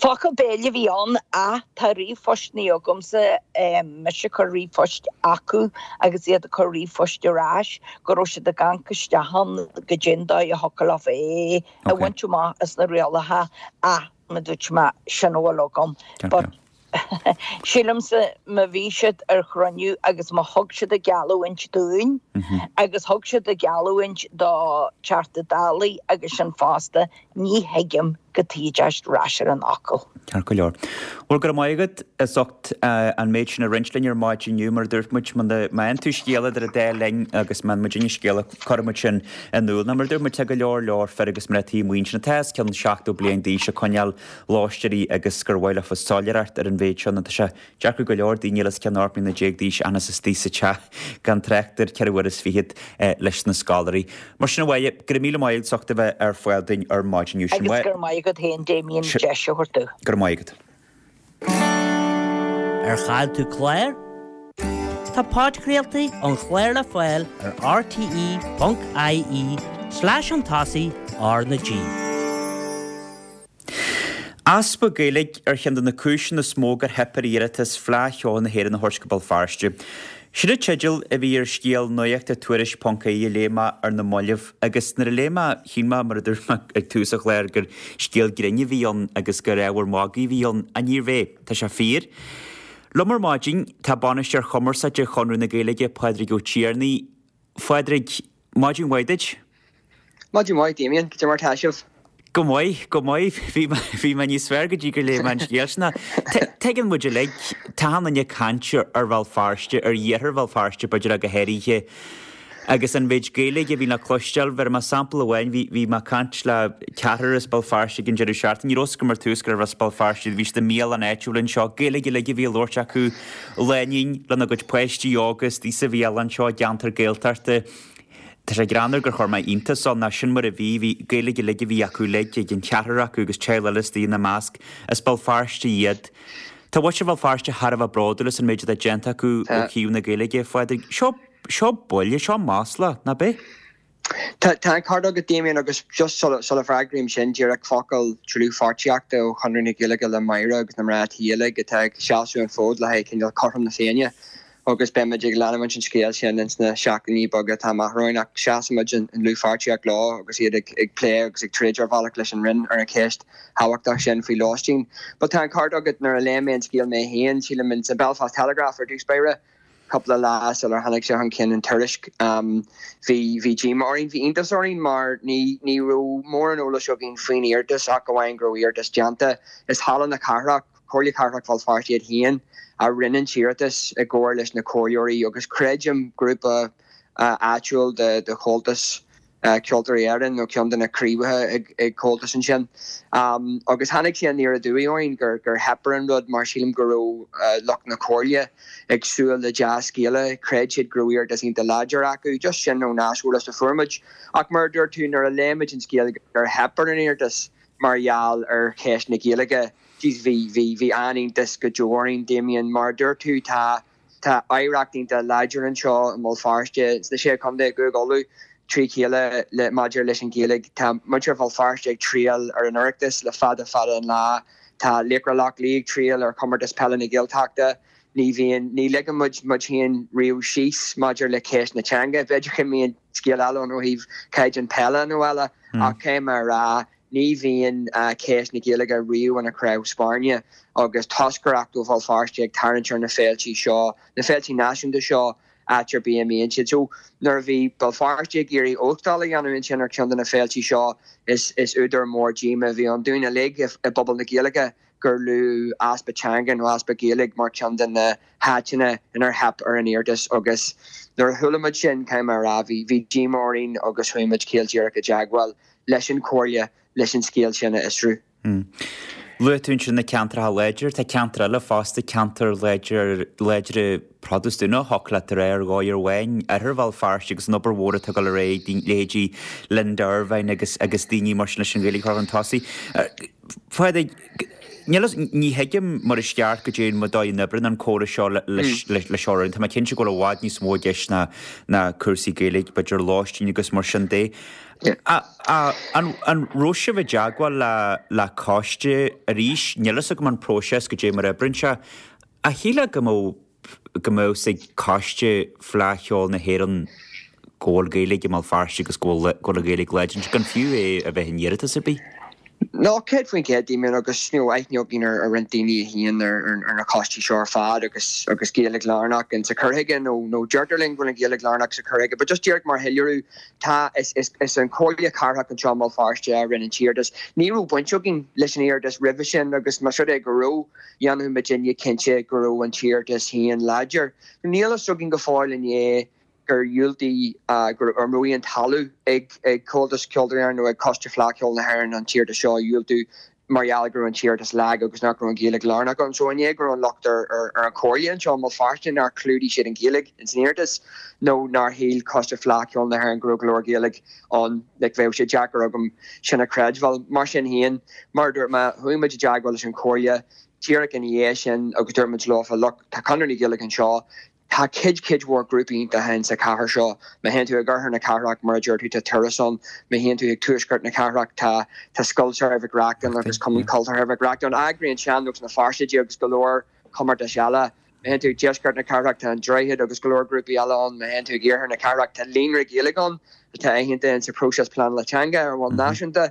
Focal béil a bhí ann ach tá ríomhphostanna agamsa, mise ag cur ríomhphoist acu agus iad ag cur ríomhphoist ar ais, go raibh siad ag amharc isteach ann goidé an dóigh a thiocfadh leofa é a bhaint amach as na rialacha ach mar a dúirt mé, sin a bhfuil agam. But sílimse má bhí siad ar chruinniú agus má thug siad a geallúint dúinn agus thug siad a geallúint do Teachta Dála agus sin fosta, ní thuigim go dtiocfaidís ar ais ar an fhocal. Ceart go leor. Bhuel, go raibh maith agat as ucht an méid sin a roinnt linn ar maidin inniu. Mar a dúirt muid, má fhaigheann tú scéala idir an dá linn agus má fhaigheann muidinne scéala, cuirfidh muid sin in iúl. Nó mar a dúirt muid, tá go leor leor fir agus mná tí amuigh ansin atá os cionn seachtó bliain d'aois ag coinneáil lóistéirí agus gur mhaith leofa soiléireacht ar an mhéid seo nó tá sé deacair go leor daoine os cionn ocht mbliana déag d'aois a fhananns istigh sa teach gan trácht ar ceithre uair is fichead leis na scoláirí. Mar sin a Mháire, go raibh míle maith agat as ucht a bheith ar fáil dúinn ar maidin inniu. Agus go raibh maith agat féin, Damien, deis a thabhairt domh. Go raibh maith agat. Ar chaill tú clár? Tá podchraoltaí an chláir le fáil ar rte ponc ie slash chun tosaigh R na G. Easpa Gaeilge ar cheann de na cúiseanna is mó gur theip ar iarratas Fleadh Cheoil na hÉireann a thabhairt go Béal Feirste. Sin an teideal a bhí ar scéal nuachta Tuairisc ponc ie a léigh mé ar na mallaibh agus nuair a léigh mé, shíl mé, mar a dúirt mé ag tús an chláir, gur scéal grinn a bhí ann agus gur ábhar magaidh a bhí ann, ach níorbh é. Tá sé fíor. Liom ar maidin tá Bainisteoir Chumarsáide Chonradh na Gaeilge, Pádraig Ó Tiarnaigh. Phádraig, maidin mhaith duit. Maidin mhaith, Damien. Cad é mar tá sibh? Go maith, go maith. Bhí mé, bhí mé níos fearr go dtí gur léigh mé an scéal sin. Tuigeann muid uilig, tá achan duine ag caint ar Bhéal Feirste, ar iarthar Bhéal Feirste b'fhéidir ach go háirithe, agus an mhéid Gaeilge a bhí le cloisteáil. Bhéarfaidh mé sampla amháin, bhí, bhí mé ag caint le ceathrar as Béal Feirste ag an deireadh seachtaine. Ní raibh a fhios agam ar tús gurbh as Béal Feirste iad, bhí siad i mbialann áitiúil anseo. Gaeilge uilig a bhí á labhairt acu, lánúin lena gcuid páistí óga istigh sa bhialann seo i gceantar Gaeltachta. Tá sé greannmhar gur chuir mé iontas ann, ach sin mar a bhí, bhí Gaeilge uilig a bhí acu uilig, ag an cheathrar acu agus teaghlach eile istigh ina measc. As Béal Feirste iad. Tá muintir Bhéal Feirste thar a bheith bródúil as an méid atá déanta acu ó thaobh na Gaeilge, a Phádraig. Seo, seo buille, seo masla, nach b'é? Tá, tá an ceart agat, Damien, agus just sula, sula bhfreagraím sin, díreach focal dlúthpháirtíochta ó Chonradh na Gaeilge le Máire agus na mná tí uilig atá ag seasamh an fód le haghaidh cineál cothrom na Féinne. agus beimid ag leanúint an scéil sin ins na seachtainí beaga atá amach romhainn ach seasaimid i ndlúthpháirtíocht leo agus iad ag ag plé agus ag troid ar bhealach leis an Roinn ar an cheist thábhachtach sin faoi lóistín. But tá an ceart agat nuair a léigh mé an scéal mé féin, sílim in sa Belfast Telegraph ar dtús báire, cúpla lá sular tháinig sé chun cinn in Tuairisc, bhí bhí díomá orainn, bhí iontas orainn mar ní ní raibh mórán eolais againn faoin iarratas ach amháin go raibh iarratas déanta. Is Halla na Cathrach, Comhairle Cathrach Bhéal Feirste iad féin a rinne an t-iarratas i gcomhar leis na comhairleoirí agus creidim grúpa áitiúil de Chomhaltas Ceoltóirí Éireann nó ceann de na craobhacha ag Comhaltas ansin. Agus tháinig sé aniar aduaidh orainn gur theip ar an rud mar sílim go raibh lucht na comhairle ag súil le dea-scéala, chreid siad go raibh iarratas iontach láidir acu, just sin ón aiseolas a fuair muid. Ach mar a dúirt tú, nuair a léigh muid an scéal gur theip ar an iarratas mar gheall ar cheist na Gaeilge, Jeez, bhí, bhí, bhí an-iontas go deo orainn, Damien. Mar a dúirt tú, tá, tá oidhreacht iontach láidir anseo i mBéal Feirste, sna Sé Chontae, i gCúige Uladh, trí chéile le, maidir leis an Ghaeilge. Tá muintir Bhéal Feirste ag triall ar an Oireachtas le fada, fada an lá. Tá Laochra Loch Lao ag triall ar Chomórtas Peile na Gaeltachta. Ní bhíonn, ní ligeann muid muid féin riamh síos maidir le ceist na teanga. B'fhéidir go mbíonn scéal eile ann ó thaobh caighdeán peile nó eile, ach caithfidh mé a rá, ní bhíonn ceist na Gaeilge riamh ina crann spairne agus toscaireacht ó Bhéal Feirste ag tarraingt ar na féiltí seo, na féiltí náisiúnta seo, áit ar bith a mbíonn siad. So, nuair a bhí Béal Feirste ag iarraidh óstáil a dhéanamh ansin ar cheann de na féiltí seo, is is údar mór díomá a bhí ann dúinn uilig i bpobal na Gaeilge gur luadh easpa teanga nó easpa Gaeilge mar cheann de na háiteanna inar theip ar an iarratas agus nuair a chuala muid sin, caithfidh mé a rá, bhí bhí díomá orainn agus chuaigh muid caol díreach i dteagmháil leis an Chomhairle leis an scéal sin a fhiosrú. Luaigh tú ansin na ceantracha láidir, tá ceantar eile fosta, ceantar láidir, láidre Protastúnach, thiocfadh leat a rá ar dhóigh amháin, Oirthear Bhéal Feirste agus an obair mhór atá ag dul ar aghaidh ag leithéidí Linda Ervine agus agus daoine mar sin leis an Ghaeilge a chur chun tosaigh. Phádraig, níl fhios, ní thuigim mar is ceart go dtéann an dóigh a n-oibríonn an córas seo leis leis seo. Tá mé cinnte go bhfuil i bhfad níos mó i gceist ná ná cúrsaí Gaeilge, b'fhéidir lóistín agus mar sin de. An raibh sibh i dteagmháil le coiste arís? Níl fhios agam an próiseas go dté mar a oibríonn sé. Ach shílfeá go mbeadh go mbeadh fhios ag coiste Fleadh Cheoil na hÉireann go bhfuil Gaeilge i mBéal Feirste agus go bhfuil go bhfuil an Ghaeilge láidir. Gan fiú é a bheith in iarratas ar bith. No, céad faoin gcéad, Damien, agus you know, aithne againn ar ar roinnt daoine a shuíonn ar ar na coistí seo ar fad agus agus Gaeilge lárnach in sa chur chuige nó nó deirtear linn go bhfuil an Ghaeilge lárnach sa chur chuige, but just díreach mar shoiléiriú, tá is is is an Chomhairle Cathrach anseo i mBéal Feirste a rinne an t-iarratas. Ní raibh baint againn leis an iarratas roimhe sin agus más rud é go raibh, dhéanfadh muidinne cinnte go raibh an t-iarratas féin láidir. Níl a fhios againn go fóill inné gur dhiúltaigh, go raibh aon toiliú ag Comhaltas Ceoltóirí Éireann nó ag Coiste Fleadh Cheoil na hÉireann an t-iarratas seo a dhiúltú mar gheall go raibh an t-iarratas lag agus nach raibh an Ghaeilge lárnach ann. So an é go raibh an locht ar an Chomhairle anseo i mBéal Feirste nár chlúdaigh siad an Ghaeilge ins an iarratas nó nár shíl Coiste Fleadh Cheoil na hÉireann go raibh go leor Gaeilge ann, like bheadh sé deacair agam sin a chreidbheáil. Mar sin féin, mar a dúirt mé, chuaigh muid i dteagmháil leis an Chomhairle díreach ina dhiaidh sin agus dúirt muid leofa, look, tá Conradh na Gaeilge anseo, Tá cuid, cuid mhór grúpaí iontacha in sa chathair seo. Má théann tú ag oirthear na cathrach, mar a deir tú, tá Turas ann. Má théann tú ag tuaisceart na cathrach, tá, tá Scoil Samhraidh Mhic Reachtain agus Cumann Cultúrtha Mhic Reachtain. Eagraíonn Sean-Nós na Feirste agus go leor comórtais eile. Má théann tú ag deisceart na cathrach, tá An Droichead agus go leor grúpaí eile ann. Má théann tú ag iarthar na cathrach, tá Líonra Gaeilge ann atá aitheanta in sa próiseas pleanála teanga ar bhonn náisiúnta.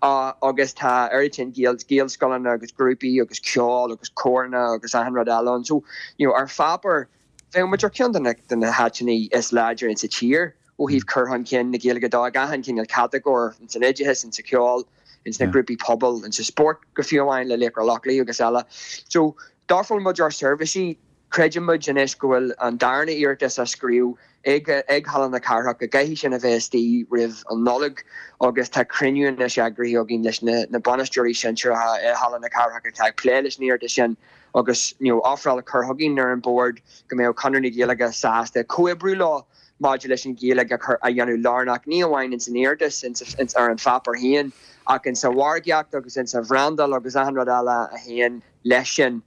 Agus tá oiread sin Gaelscoileanna agus grúpaí agus ceol agus córanna agus achan rud eile ann. So, you know, ar pháipéar, bheadh muid ar cheann de na, de na háiteanna is láidre insa tír ó thaobh cur chun cinn na Gaeilge de ag achan cineál catagóir, ins an oideachas, insa cheol, ins na grúpaí pobail, insa spórt go fiú amháin le Laochra Loch Lao agus eile. So, d'ofráil muid ár seirbhísí. Creideann muid anois go bhfuil an darna iarratas á scríobh ag ag Halla na Cathrach, go gcaithfidh sin a bheith istigh roimh an Nollaig agus tá cruinniú anois eagraithe againn leis na na bainisteoirí sinsearacha i Halla na Cathrach atá ag plé leis an iarratas sin agus you know ofráil curtha againn ar an bord go mbeadh Conradh na Gaeilge sásta comhoibriú leo maidir leis an Ghaeilge a chur a dhéanamh lárnach ní amháin ins an iarratas ins ar an pháipéar féin ach insa mhargaíocht agus insa bhrandáil agus achan rud eile a théann leis sin.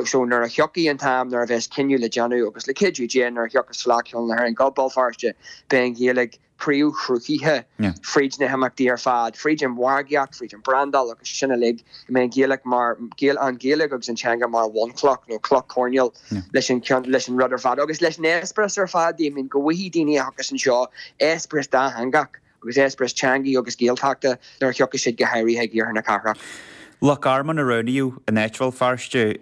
So nuair a thiocfaidh an t-am nuair a bheas cinneadh le déanamh, agus le cuidiú Dé nuair a thiocfas Fleadh Cheoil na hÉireann go Béal Feirste, beidh an Ghaeilge príomhshruthaithe fríd na himeachtaí ar fad, fríd an mhargaíocht, fríd an brandáil agus sin uilig, go mbeidh an Ghaeilge mar, an Ghaeilge agus an teanga mar bhunchloch nó cloch choirnéil leis an leis an rud ar fad agus leis an eispéireas ar fad, I mean go bhfaighidh daoine a thiocfas anseo eispéireas dátheangach. agus eispéireas teangaí agus Gaeltachta nuair a thiocfaidh siad go háirithe ag iarthar na cathrach. Loch Garman a roghnaíodh in áit Bhéal Feirste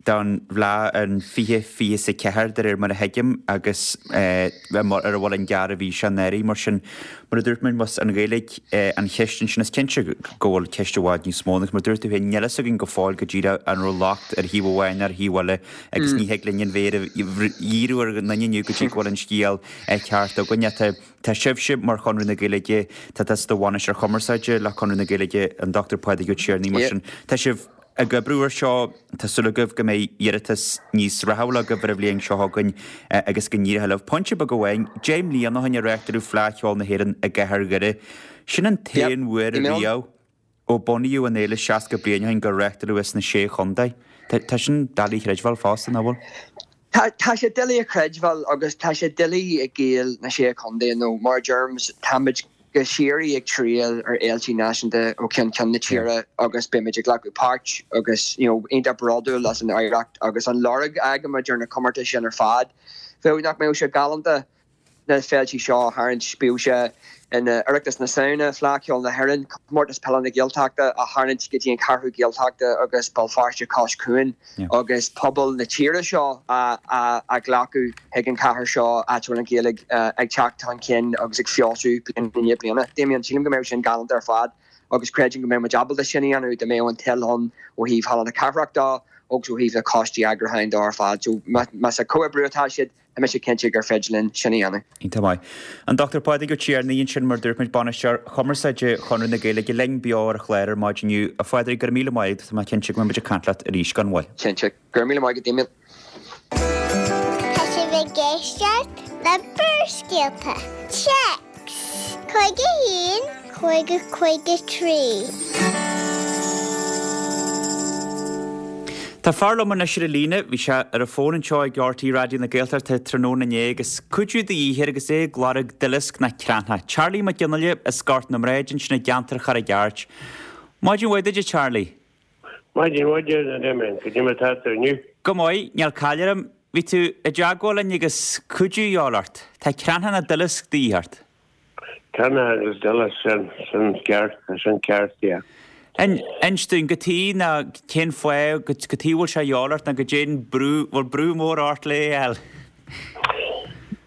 don bhFleadh in fiche fiche is a ceathair de réir mar a thuigim agus ar a bhfuil an gearr a bhí sé anuraidh. Mar sin, mar a dúirt mé, más an Ghaeilge an cheist ansin is cinnte go bhfuil ceist i bhfad níos mó agus mar a dúirt tú féin níl fhios againn go fóill go díreach an raibh locht ar thaobh amháin nó ar thaobh eile agus ní thig linn an mhéar a dhíriú ar aon duine inniu go dtí go bhfuil an scéal ceart againn. Tá Tá sibhse mar Chonradh na Gaeilge, tá tusa i do bhainisteoir cumarsáide le Conradh na Gaeilge, an Dochtúir Pádraig Ó Tiarnaigh, mar sin tá sibh ag oibriú ar seo, tá súil agaibh go mbeidh iarratas níos rathúla agaibh ar an bhliain seo chugainn agus go n-éireoidh libh. Pointe beag amháin, deich mbliana ó shin a reáchtáladh Fleadh Cheoil na hÉireann i gcathair Dhoire. Sin an t-aon uair riamh ó bunaíodh an fhéile seasca bliain ó shin gur reáchtáladh í sna Sé Chontae. Tá sin doiligh a chreidbheáil fosta, nach bhfuil? Tá, tá sé doiligh a chreidbheáil agus tá sé doiligh ag Gaeil na Sé Chontae nó mar a deirim, táimid go síoraí ag triall ar fhéiltí náisiúnta ó cheann ceann na tíre agus beimid ag glacadh páirt agus you know iontach bródúil as an oidhreacht agus an lorg a fhágaimid ar na comórtais sin ar fad. Bheadh nach mbeadh sé galánta na féiltí seo a tharraingt, bíodh sé in Oireachtas na Samhna, Fleadh Cheoil na hÉireann, Comórtas Peile na Gaeltachta a tharraingt go dtí an Cheathrú Gaeltachta agus Béal Feirste cois cuain agus pobal na tíre seo a ghlacadh chuig an chathair seo áit a bhfuil an Ghaeilge ag teacht chun cinn agus ag feabhsú bliain i ndiaidh bliana. Damien, sílim go mbeadh sin galánta ar fad agus creidim go mbeadh muid ábalta sin a dhéanamh dá mbeadh an toil ann ó thaobh Halla na Cathrach de agus ó thaobh na coistí eagrúcháin de ar fad. So más ag comhoibriú atá siad, Tá mise cinnte gur féidir linn sin a dhéanamh. Iontach maith. An Dochtúir Pádraig Ó Tiarnaigh ansin, mar dúirt muid, Bainisteoir Chumarsáide Chonradh na Gaeilge linn beo ar an chlár ar maidin inniu. A Phádraig, go raibh míle maith agat, tá mé cinnte go mbeidh muid ag caint leat arís gan mhoill. Cinnte. Go raibh míle maith agat, Damien. Tá sibh ag éisteacht le Barrscéalta. Téacs cúig a haon, cúig a cúig a trí. Tá fear liom anois ar an líne, bhí sé ar an bhfón anseo ag RTÉ Raidió na Gaeltachta tráthnóna inné agus cuidiú de dhíth air agus é ag lorg duileasc ná cranncha. Charlie Mac Fhionnghaile as Gort na mBrád ansin i gceantar Charraig Airt. Maidin mhaith duit a Charlie. Maidin mhaith duit a Damien, cad é mar atá tú inniu? Go maith, níl caill orm. Bhí tú i dteagmháil linn agus cuidiú de dhíobháil ort. Tá cranncha ná duileasc de dhíth ort. Cranncha agus duileasc, sin, sin ceart, sin ceart, yeah. Inis dúinn, cad chuige ná cén fáth, cad chuige bhfuil sé a dhíobháil ort ná goidé an brú, bhfuil brú mór ort le é a fháil?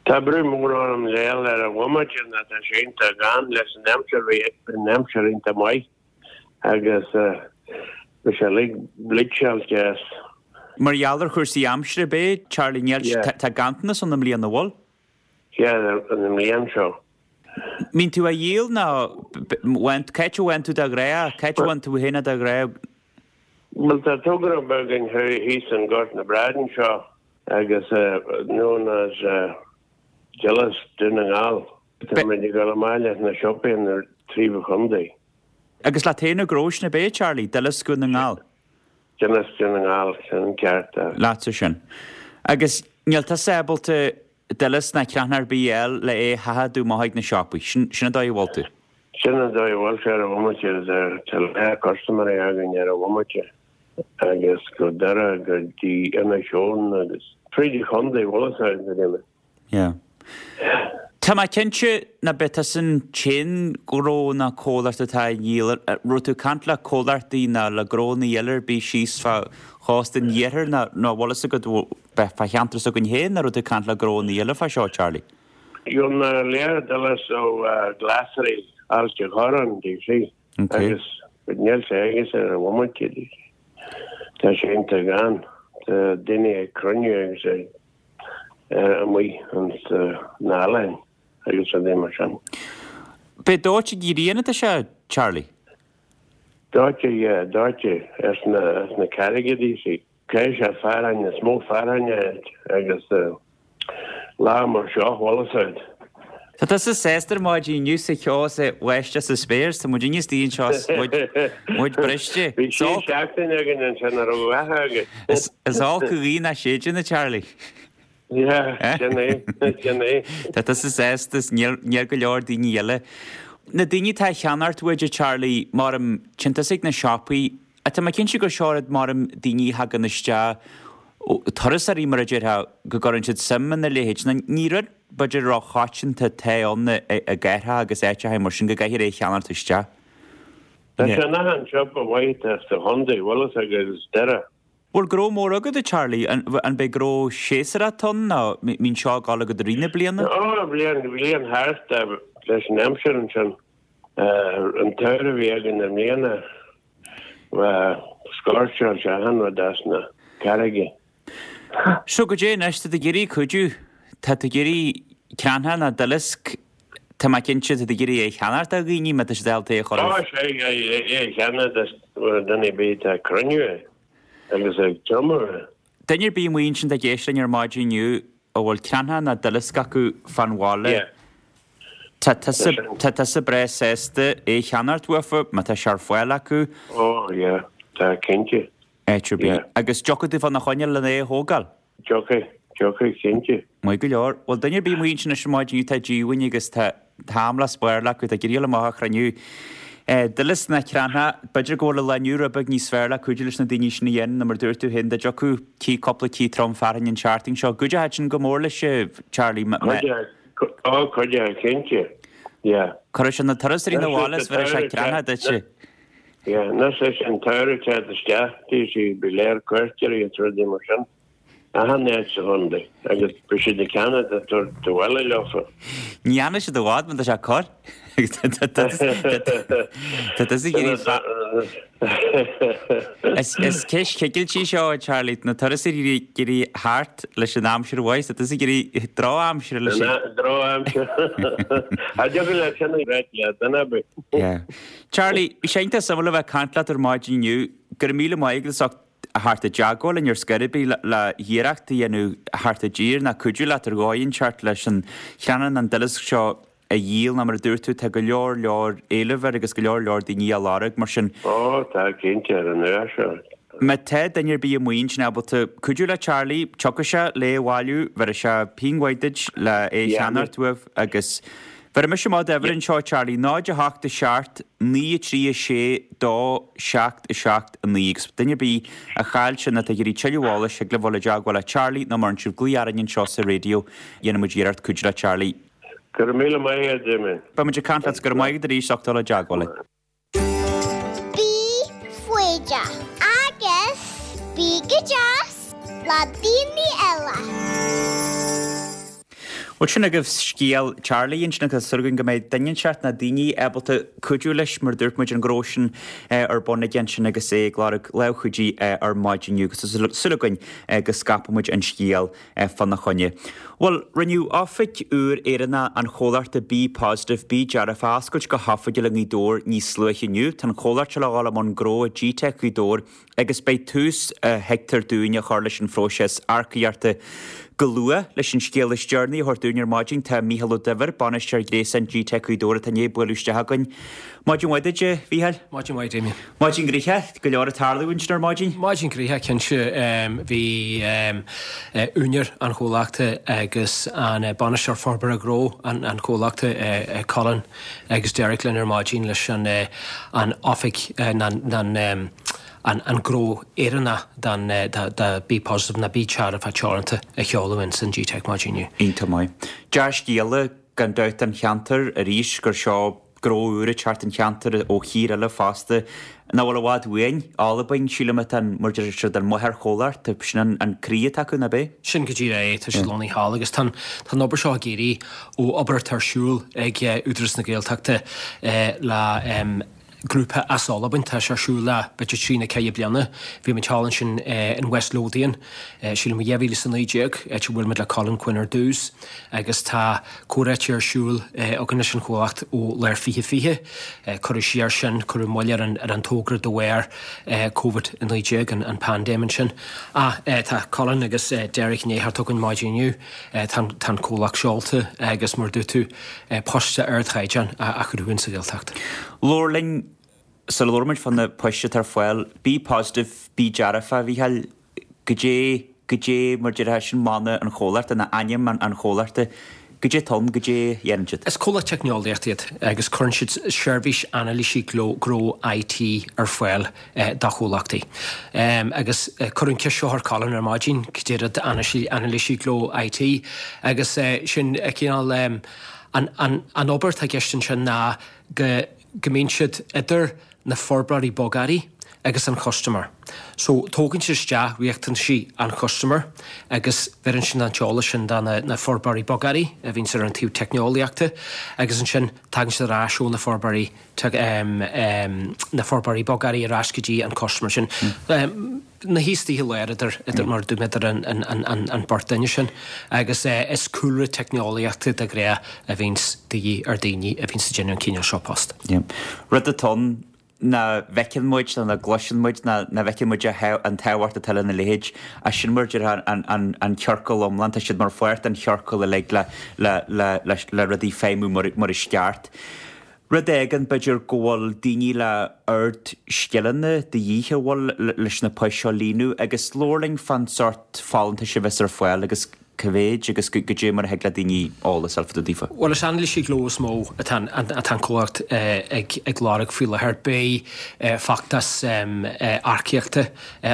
Tá brú mór orm le é fháil ar an bhomaite ná tá sé iontach gann leis an aimsir, bhí an aimsir iontach maith agus bhí sé uilig bleachtáilte as. Mar gheall ar chúrsaí aimsire ab é, Charlie, níl, tá ganntanas ann i mbliana, an bhfuil? Yeah, an mbliain seo. Mbíonn tú á dhíol nó cá háit a bhfaigheann tú de ghnáth, cá háit a bhfaigheann tú féin de ghnáth? Bhuel tá togra beag againn thíos in Gort na mBrád anseo agus known as Duileasc Dún na nGall. Tá muid ag dul amach leis na siopaí na trí chontae. Agus leat féin an gnó sin ab é, Charlie, Duileasc Dhún na nGall? Duileasc Dhún na nGall, sin an ceart. Leatsa sin. Agus níl tusa ábalta duileasc ná cranncha ar bith a fháil le é a sheachadadh amach chuig na siopaí. Sin an dóigh a bhfuil tú. Sin an dóigh a bhfuil sé ar an bhomaite. Tá leath custaiméirí againn ar an bhomaite agus go Doire go dtí Inis Eoghain agus fríd an chontae, bhfuil fhios agat, a Damien. Yeah. Tá mé cinnte ná beidh tusa an t-aon ghnó ná comhlacht atá á dhíol. Raibh tú ag caint le comhlachtaí ná le gnónna eile ar bith síos fá chósta an iarthair ná ná bhfuil fhios agat bheith fá cheantar s'againn féin nó raibh tú ag caint le gnónna eile fá seo, Charlie? Gheobhaidh mé lear duileasc ó Ghlasraí Ailt an Chorráin, do you see, agus níl sé aige ar an bhomaite, do you see. Tá sé iontach gann. Tá daoine ag cruinniú agus ag amuigh ins na hoileáin agus rudaí mar sin. B'é dóite gréine atá sé, Charlie? Dóite, yeah, dóite as na, as na carraige, do you see. Caithfidh sé fearthainn, is mó fearthainn é agus lá mar seo, bhfuil fhios agat. Tá tusa sásta ar maidin inniu sa cheo is ag báisteach sa spéir, tá muid inniu istigh anseo is muid, muid briste. Bhí sé seachtain againn ansin a raibh uathu agat. Is olc an ghaoth nach séideann, a Charlie. Yeah, sin é, sin é. Tá tusa sásta is níl, níl go leor daoine eile. Na daoine atá ag ceannacht uait, a Charlie, maram, téann tusa ag na siopaí, ach tá mé cinnte gur seo rud maram daoine a thagann isteach, turasóirí mar a déarfá, go gcuireann siad suim ina leithéid. Nó ní rud b'fhéidir ró-choitianta atá ann i gcathracha agus áiteacha mar sin go gcaithfear é a cheannacht isteach. Tá sé in achan siopa mhaith atá sa chontae, bhfuil fhios agat, is Doire. Bhfuil gnó mór agat, a Charlie? An b'é gnó séasúrach atá ann nó mbíonn seo ag dul agat i rith na bliana? Ó, bliain, bliain thart leis an aimsir ansin. An tsamhradh a bhí againn i mbliana, scorcháil sé achan rud as na carraige. So goidé anois, tá tú ag iarraidh cuidiú, tá tú ag iarraidh cranncha ná duileasc, tá mé cinnte, tá tú ag iarraidh é a cheannacht ó dhaoine má tá siad ábalta é a chur Ó, sea, é a cheannacht ó dhuine ar bith atá ag cruinniú é. Agus ag tumadh. Duine ar bith amuigh ansin atá ag éisteacht linn ar maidin inniu a bhfuil cranncha ná duileasc acu fán bhaile, tá tusa, tá tusa breá sásta é a cheannacht uafa má tá sé ar fáil acu. Ó, yeah, tá, cinnte. Áit ar bith. Agus dtiocfaidh tú fána choinne lena é a thógáil? Tiocfaidh, tiocfaidh, cinnte. Maith go leor. Bhuel, duine ar bith amuigh ansin anois ar maidin inniu atá díomhaoin agus tá Tá am le spáir acu, tá ag iarraidh amach a chruinniú. Duileasc ná cranntha, b'fhéidir go bhfuil an lá inniu rud beag níos fearr le cuidiú leis na daoine sin a dhéanamh ná mar dúirt tú féin, dá dtiocfadh cith cúpla cith trom fearthainne an tseachtain seo. Cuideoidh sin go mór leis, Charlie. Ó, cuideoidh, cinnte. Yeah. Cuirfidh sé na turasóirí na bhaile is bheir sé creatha duit. Yeah, anois leis an tsamhradh teacht isteach, bhí sí go léir cuairteoirí is rudaí mar sin. Achan áit sa chontae agus beidh siad ag ceannach ag tabhairt abhaile leofa. Ní fhanfaidh siad i bhfad má tá sé corr. Tá tusa ag iarraidh fa- Is is ceist chigilte í seo, a Charlie. Na turasóirí ag iarraidh thart leis an aimsir mhaith, tá tusa ag iarraidh drochaimsir leis an. Drochaimsir. Cha dtiocfadh leat sin a ráit le duine ar bith. Yeah. Charlie, bhí sé iontach suimiúil a bheith ag caint leat ar maidin inniu. Go raibh míle maith agat as ucht a theacht i dteagmháil linn ar scor ar bith le hiarracht a dhéanamh theacht i dtír ná cuidiú leat ar dhóigh inteacht leis an chrann an duileasc seo a dhíol ná mar a dúirt tú tá go leor leor éileamh air agus go leor leor daoine á lorg mar sin. Ó tá cinnte ar an uair seo. Má tá duine ar bith amuigh ansin ábalta cuidiú le Charlie, tiocfaidh sé le é a bhailiú, bhéarfaidh sé pingin mhaith duit le é a cheannacht uaibh agus Bhéarfaidh mise amach d'uimhir anseo, Charlie, náid a hocht a seacht, naoi a trí a sé, dó, seacht a seacht a naoi. Agus duine ar bith a chaill sin atá ag iarraidh tuilleadh eolais, thig libh dul i dteagmháil le Charlie nó má fhaigheann sibh glaoch orainn anseo sa raidió, dhéanfaidh muid iarracht cuidiú le Charlie. Go raibh míle maith agat, Damien. Beidh muid ag caint leat, go raibh maith agat arís as ucht dul i dteagmháil linn. Bí foighdeach agus bí go deas le daoine eile. Bhuel, sin agaibh scéal Charlie ansin agus tá súil againn go mbeidh duine inteacht nó daoine ábalta cuidiú leis mar a dúirt muid an gnó sin ar bun aige ansin agus é ag lorg lámh chuidithe ar maidin inniu agus tá súil againn go scaipfidh muid an scéal fána choinne. Bhuel, rinneadh oifig úr Éireannach an chomhlachta Be Positive, Bí Dearfach a oscailt go hoifigiúil i nGaoth Dobhair níos luaithe inniu. Tá an chomhlacht seo le dhul i mbun gnó i Gteic Ghaoth Dobhair agus beidh tús, a thuigtear dúinn, á chur leis an phróiseas earcaíochta go luath. Leis an scéal is deireanaí a thabhairt dúinn ar maidin tá Mícheál Ó Duibhir, Bainisteoir Gréasáin Gteic Ghaoth Dobhair atá i ndiaidh bualadh isteach againn. Maidin mhaith duit, a Mhícheáil. Maidin mhaith, Damien. Maidin ghnoitheach, go leor ag tarlú ansin ar maidin. Maidin ghnoitheach, cinnte. Bhí úinéir an chomhlachta agus an bainisteoir forbartha gnó an chomhlachta, Colin agus Derek linn ar maidin leis an an oifig, an an gnó Éireannach don do Be Positive nó Bí Dearfach Teoranta a sheoladh ins an Gteic maidin inniu. Iontach maith. Dea-scéala gan dabht don cheantar arís gur seo gnó úr ag teacht don cheantar ó thír eile fosta nach bhfuil i bhfad uainn, Albain, sílim atá an, mar deir siad, an máthairchomhlacht, sin an an croí atá acu, nach b'é? Sin go díreach é, tá siad lonnaithe thall agus tá an tá an obair seo ag éirí ó obair atá ar siúl ag Údarás na Gaeltachta le grúpa as Albain. Tá sé ar siúl le b'fhéidir trí nó ceithre bliana. Bhí muid thall ansin in West Lothian, sílim i dhá mhíle is a naoi déag, áit a bhfuail muid le Colin Quinn ar dtús agus tá comhráite ar siúl againn leis an chomhlacht ó lár fiche fiche. Cuireadh siar sin, cuireadh moill ar an ar an togra de bharr Covid a naoi déag, an paindéim ansin. Ach tá Colin agus Derek i ndiaidh theacht chugainn maidin inniu. Tá an comhlacht seolta agus mar a dúirt tú, poist ardchaighdeáin á chruthú insa Ghaeltacht. Labhair linn, sula labhraíonn muid fá na poist atá ar fáil, Be Positive, Bí Dearfach, a Mhícheáil, goidé, goidé mar déarfá, sin mana an chomhlachta, nó ainm an chomhlachta, goidé atá ann, goidé a dhéanann siad? Is comhlacht teicneolaíochta iad agus cuireann siad seirbhís anailísí gnó I T ar fáil do chomhlachtaí. Agus cuireadh an ceist seo ar Colin ar maidin, cad é rud anailísí gnó I T agus sin cineál an an obair atá i gceist ansin ná go go mbíonn siad idir na forbróirí bogearraí agus an customer. So tógann siad isteach riachtanaisí an chustomer agus bheireann siad an t-eolas sin do na na forbróirí bogearraí a bhíonn ar an taobh teicneolaíochta agus ansin tagann siad ar ais ó na forbróirí na forbróirí bogearraí ar ais go dtí an customer sin. Na híostaithe léir idir idir mar dúirt mé idir an an an an an beirt duine sin agus is cúlra teicneolaíochta de ghnáth a bhíonns de dhíth ar daoine a bhíonns ag déanamh an cineál seo post. Rud atá ann nach bhfeiceann muid nó nach gcloiseann muid ná nach bhfeiceann muid an tábhacht atá lena leithéid ach sin mar a déarfá an an an ciorcal iomlán, tá siad mar pháirt den chiorcal uilig le le le le le rudaí feidhmiú mar mar is ceart. Rud éigin b'fhéidir go bhfuil daoine le ard-scileanna de dhíth a bhfuil leis na poist seo a líonadh agus labhair linn fán sórt folúntais a bheas ar fáil agus Cá mhéid agus goidé mar a thig le daoine eolas a fháil fá dtaobh daofa? Bhuel, is anailísí gnó is mó atá an comhlacht ag lorg faoi láthair. Beidh feachtas earcaíochta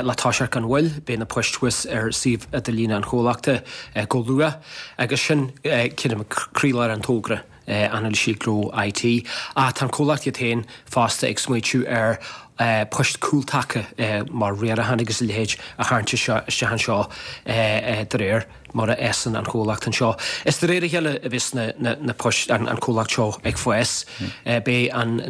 le toiseacht gan mhoill. Beidh na poist thuas ar suíomh idirlíne an chomhlachta go luath agus sin creidim croílár an togra. Anailísí Gnó IT. Ach tá an comhlacht iad féin fosta ag smaoitiú ar poist cúltaca mar riarachán agus a leithéid a tharraingt isteach anseo de réir mar a fhásann an comhlacht anseo. Is de réir a chéile a bheas na poist, an comhlacht seo ag fás. Beidh an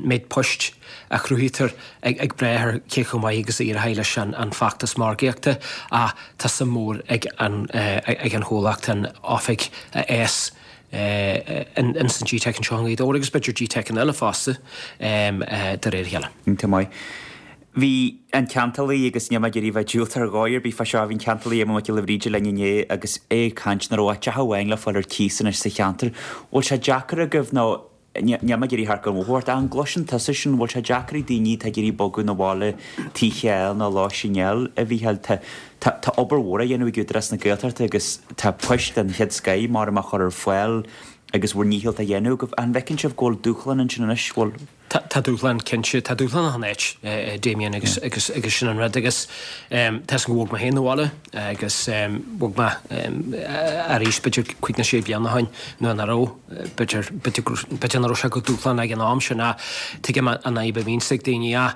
méid poist a chruthaítear ag brath ar cé chomh maith agus a éireoidh leis an feachtas margaíochta ach tá suim mhór ag an chomhlacht an oifig a fhás ins an G-Teic anseo i nGaoth Dobhair agus b'fhéidir G-Teiceanna eile fosta de réir a chéile. Iontach maith. Bhí an ceantálaí, agus níl mé ag iarraidh bheith diúltach ar dhóigh ar bith fá seo, bhí an ceantálaí Éamonn Mac Giolla Bhríde linn inné agus é ag caint nach raibh ach teach amháin le fáil ar cíos anois sa cheantar. Bhfuil sé deacair agaibh nó Níl mé ag iarraidh theacht gan mhothú ort, ach an gcloiseann tusa sin, bhfuil sé deacair ag daoine atá ag iarraidh bogadh 'na bhaile tithe a fháil nó lóistín a fháil, a Mhícheáil? Tá, tá, tá obair mhór á dhéanamh ag Údarás na Gaeltachta agus tá poist den chéad scoith mar á chur ar fáil agus bhur ndícheall á dhéanamh agaibh. An bhfeiceann sibh go bhfuil dúshlán ansin anois? Bhfuil? Tá, tá dúshlán, cinnte. Tá dúshlán achan áit, Damien, agus, agus, agus sin an rud. Agus tá 'fhios a'm gur bhog mé féin 'na bhaile agus bhog mé arís b'fhéidir cúig nó sé bliana ó shin nuair nach raibh, b'fhéidir, b'fhéidir nach raibh sé chomh dúshlánach ag an am sin ach tuigim an fhadhb a bhíonns ag daoine ach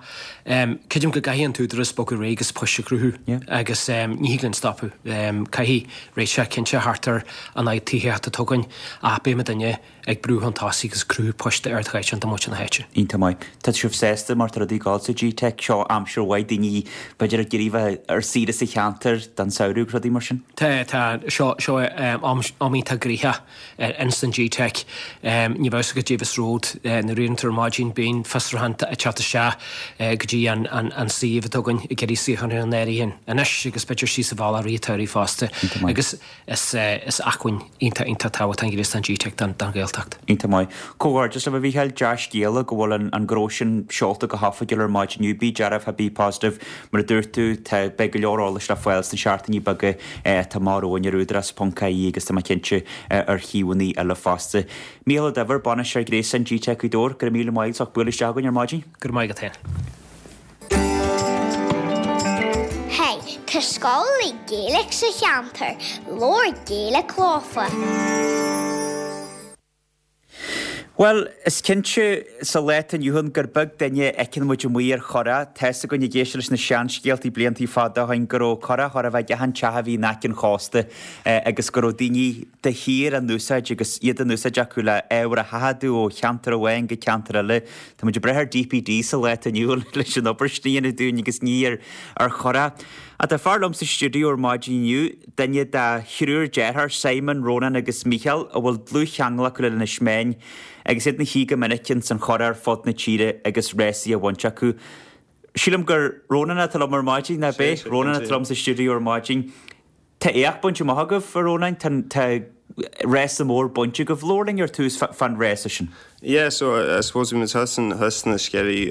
creidim go gcaithfidh an t-údarás bogadh ar aghaidh agus poist a chruthú agus ní thig linn stopadh. Caithfidh réiteach cinnte a theacht ar an fhadhb tithíochta atá againn ach beidh muidinne ag brú chun tosaigh agus cruthú poist d'ardchaighdeán do mhuintir na háite. Iontach maith. Tá sibh sásta mar tá rudaí ag gabháil sa G-Teic seo aimsir mhaith, daoine b'fhéidir ag iarraidh bheith ar saoire sa cheantar don samhradh agus rudaí mar sin? Tá, tá. Seo, seo am, am iontach gnoitheach ins an G-Teic. Ní bheadh 'fhios agat Davis Road nuair a éiríonn tú ar maidin, bíonn fiosrúchán ag teacht isteach go dtí an, an, an suíomh atá againn ag iarraidh suíochán a chur in áirithe anois agus b'fhéidir síos an bhealach i rith an tsamhraidh fosta. Iontach maith. Agus Is acmhainn iontach iontach tábhachtach an gréasán G-Teic don Ghaeltacht. Iontach maith. Comhghairdeas libh a Mhícheáil, dea-scéala go bhfuil an gnó sin seolta go hoifigiúil ar maidin inniu. Bí dearfa, be positive. Mar a dúirt tú, tá, beidh go leor eolais le fáil sna seachtainí beaga atá amach romhainn ar údarás ponc ie agus tá mé cinnte ar shuíomhanna eile fosta. Mícheál Ó Duibhir, Bainisteoir Gréasáin G-Teic Ghaoth Dobhair, go raibh míle maith agat as ucht bualadh isteach chugainn ar maidin. Go raibh maith agat féin. Hey, tá scoil Gaeilge sa cheantar, labhair Gaeilge leofa. Bhuel, is cinnte sa lá atá inniu ann gur beag duine a fheiceann muid amuigh ar churach. Tá's againn ag éisteacht leis na seanscéaltaí bliantaí fada ó shin go raibh curach chóir a bheith ag achan teach a bhí in aice an chósta agus go raibh daoine de shíor á n-úsáid agus iad á n-úsáid acu le ábhar a sheachadadh ó cheantar amháin go ceantar eile. Tá muid ag brath ar DPD sa lá atá inniu ann leis an obair sin a dhéanamh dúinn agus ní ar ar churach. Ach tá fear liom sa stiúideo ar maidin inniu, duine de thriúr dearthár, Simon, Rónán agus Mícheál, a bhfuil dlúthcheangal acu le Inis Meáin agus iad ina shuí go minic ins an churach ar fud na tíre agus rásaí á bhaint acu. Sílim gur Rónán atá liom ar maidin, nach b'é? Rónán atá liom sa stiúideo ar maidin. Tá éacht bainte amach agaibh, a Rónáin. Tá tá rása mór bainte agaibh. Labhair linn ar tús fán rása sin. Yeah, so I suppose bhí muid thuas in thuas sna Sceirí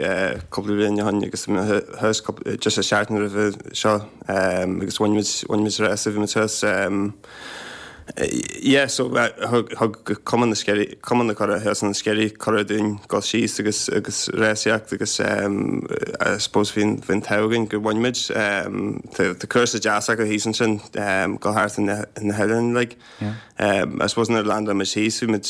cúpla bliain ó shin agus bhí muid thuas cúpla just an seachtain roimhe seo agus bhain muid bhain muid rása bhí muid thuas Yeah, so thug thug Cumann na Sceirí Cumann na Curach thuas sna Sceirí cuireadh dúinn dul síos agus agus rásaíocht agus I suppose bhí an bhí an t-ádh againn gur bhain muid. Tá tá cúrsa deas acu thíos ansin dul thart na na hoileáin like. I suppose nuair a landáil muid thíos bhí muid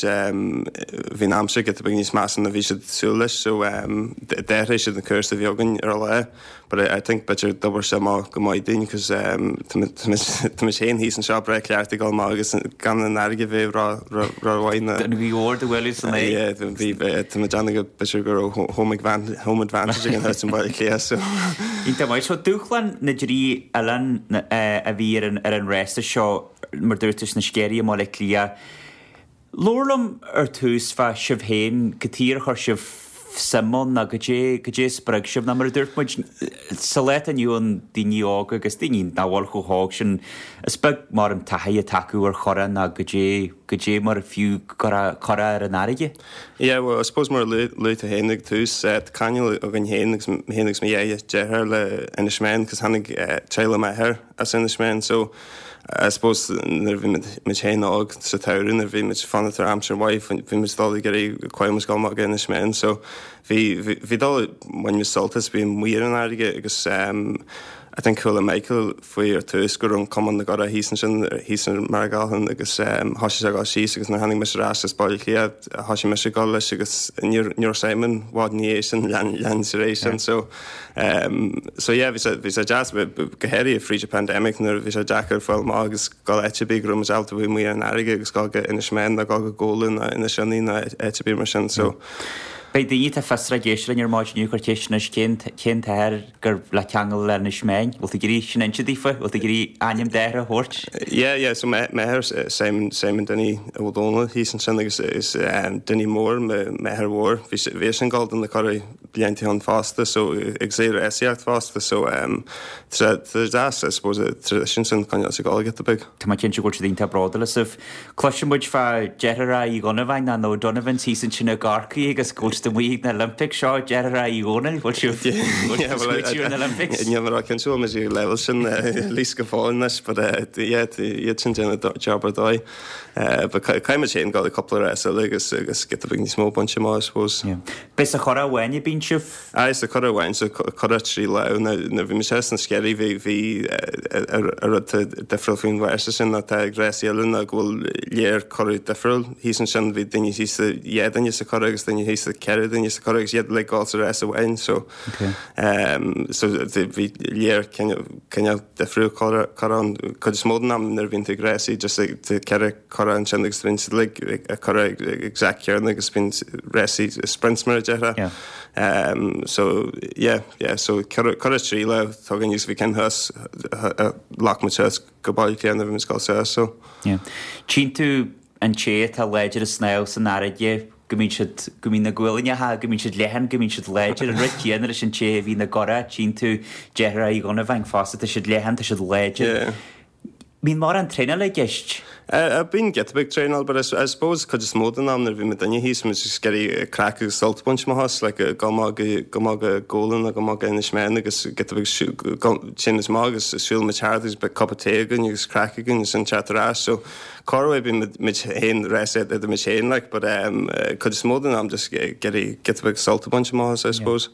bhí an aimsir giota beag níos measa ná bhí siad súil leis so d'athraigh siad an cúrsa a bhí againn ar an lá but I think b'fhéidir d'oibir sé amach go maith dúinn cos tá muid féin thíos anseo breá cleachta ag dul amach agus gan an fharraige bheith ró-mhaith ná Don ghaoth mhór do bhualadh san aghaidh. Yeah bhí tá muid déanamh go b'fhéidir go raibh home home advantage againn thuas i mBaile Átha Cliath so. Iontach maith. So dúshlán na dtrí oileán a bhí ar an ar an rása seo mar dúirt tú sna Sceirí i mBaile Átha Cliath. Labhair liom ar tús fá sibh féin, cad chuige ar chuir sibh suim ann nó goidé, goidé a spreag sibh nó mar a dúirt muid, sa lá atá inniu ann daoine óga agus daoine nach bhfuil chomh hóg sin, is beag mar an taithí atá acu ar churach nó goidé, goidé mar fiú curach, curach ar an fharraige. Yeah, well, I suppose mar a luaigh tú féin ag tús, tá ceangal againn féin agus mé féin agus mo dhá dheartháir le Inis Meáin, cos tháinig teaghlach m'athar as Inis Meáin so I suppose nuair a bhí muid féin óg sa tsamhradh nuair a bhí muid fanacht ar aimsir mhaith bhí muid dul ag iarraidh caithfidh muid dul amach go Inis Meáin so bhí bhí dul bhain muid sult as bhí amuigh ar an fharraige agus um, I think chuala Michael faoi ar tús go raibh an Cumann na gCurach thíos ansin thíos ar Maragalchan agus um, thosaigh sé ag dul síos agus nuair tháinig mise ar ais as Baile Átha Cliath thosaigh mise ag dul leis agus níor níor Simon i bhfad ina dhiaidh sin lean lean sé réis sin so um, so yeah bhí sé bhí sé deas go háirithe fríd an pandemic nuair bhí sé deacair fáil amach agus dul áit ar bith go raibh muid ábalta bheith amuigh ar an fharraige agus dul go Inis Meáin nó dul go Gabhla nó Inis Ionnaí nó áit ar bith mar sin so Beidh daoine atá fiosrach ag éisteacht linn ar maidin inniu ag cur ceist anois cén cén t-athair gur le ceangal le Inis Meáin, bhfuil tú ag iarraidh sin a inse daofa, bhfuil tú ag iarraidh ainm d'athair a thabhairt? Yeah, yeah, so m'athair Simon Simon Dinny Ó Dónaill thíos ansin agus is um, Dinny Mór m'athair mhór bhí bhí sin ag dul do na curaigh blianta ann fosta so ag sé rásaíocht fosta so um, tá deas I suppose tradition sin coinneáil sa Ghaeilge a big. Tá mé cinnte go bhfuil siad iontach bródúil asaibh. Cloiseann muid fá deartháireacha Uí Dhonnabháin ná nó Donovan's thíos ansin i gCorcaigh agus go bhfuil siad amuigh ag na Olympics seo deartháireacha Uí Dhónaill, bhfuil sibh smaoitiú ar na Olympics? Níl mé cinnte bhfuil muid ag level sin leis go fóill anois, but uh, yeah, iad sin déanamh job ar dóigh. Uh, but caithfidh muid féin dul ag cúpla rás eile agus agus giota beag níos mó bainte amach, I suppose. Yeah. Beidh sa churach amháin a bíonn sibh? Aye, sa churach amháin sa curach trí lá na bhí mé sna Sceirí bhí bhí a rud difriúil faoin bhféasta sin atá ag rásaí eile ná go bhfuil léir curach difriúil. Thíos ansin bhí duine thíos dhá duine sa churach agus duine thíos ceithre duine sa churach agus iad le dul sa rás amháin so Okay. um, so bhí léir cineál difriúil curach an cuid is mó den am nuair a bhíonn tú ag rásaí just ceithre curach ansin agus bíonn siad like ag curach exact céanna agus bíonn rásaí sprints mar a déarfá. Yeah. Um, so yeah, yeah, so curach trí lá tugann agus bhí cinn thuas ghlac muid suas go Baile Átha Cliath bhí muid dul suas so. Yeah. Tchíonn tú an té atá láidir ag snámh san fharraige go mbíonn siad go mbíonn na gualainneacha go mbíonn siad leathan go mbíonn siad láidir an rud céanna leis an té a bhí na gcurach tchíonn tú deartháireacha Uí Dhonnabháin fosta tá siad leathan tá siad láidir. Yeah. Bíonn mórán traenáil i gceist. Uh, bíonn giota beag traenáil, but I, I suppose cuid is mó den am nuair bhí muid duine thíos muid just iarraidh craic agus sult a bhaint amach as, like go maith go go maith go Gabhla nó go maith go Inis Meáin agus giota beag sin is maith agus siúl muid thart agus beidh cup of tea againn agus craic againn agus an teacht ar ais. So corruair bíonn muid féin rás idir muid féin like, but um, cuid is mó den am just iarraidh giota beag sult a bhaint amach as, I suppose.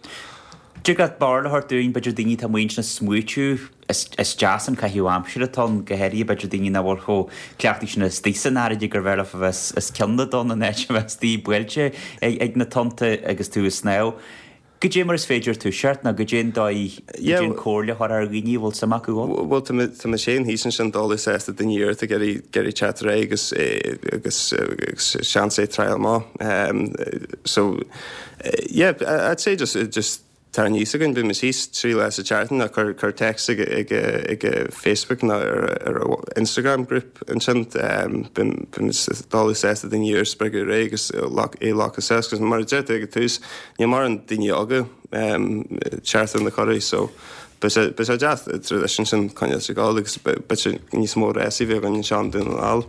Dtig leat barúil a thabhairt dúinn b'fhéidir daoine atá amuigh ansin ag smaoitiú is, is deas an caitheamh aimsire atá ann go háirithe b'fhéidir daoine nach bhfuil chomh cleachtaithe sin istigh san fharraige gur bhfearr leo a bheith os cionn na dtonn in áit a bheith istigh buailte ag, ag na tonnta agus tú ag snámh. Goidé mar is féidir toiseacht nó goidé an dóigh Yeah, an comhairle a chur ar dhaoine a bhfuil suim acu ann? Well tá mé féin thíos ansin dul sásta duine iarrata ag iarraidh teacht ar aghaidh agus agus agus seans é triail amach. Um, so yeah, I'd say just just tá níos againn bí thíos trí lá sa tseachtain ná cur cur text ag ag ag Facebook ná ar ar Instagram group ansin bím dul sásta duine ar spreagadh ré agus é lá agus mar a deir tú ag an tús níl mórán daoine óga teacht ar na curaí so Be sé deas tradition sin coinneáil sa gáil agus b'fhéidir níos mó rásaí bheith againn anseo i nDún na nGall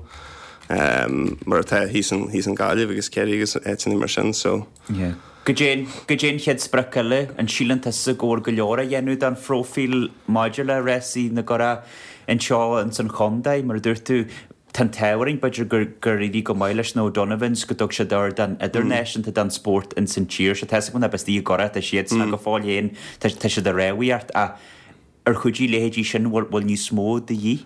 mar atá thíos thíos in Gaillimh agus Ciarraí agus áiteanna mar sin so. Yeah. Goidé goidé an chéad sprioc eile an síleann tusa go bhfuil go leor a dhéanamh don phróifíl maidir le rásaí na gcurach anseo ins an chontae mar a dúirt tú tá an t-ádh orainn b'fhéidir gur gur éirigh go maith leis na O'Donovans go dtug siad ardán idirnáisiúnta don spórt ins an tír seo tá na bastí gora tá siad sna go fóill féin tá tá siad a réamhaíocht a ar chuidigh leithéidí sin bhfuil bhfuil níos mó de dhíth.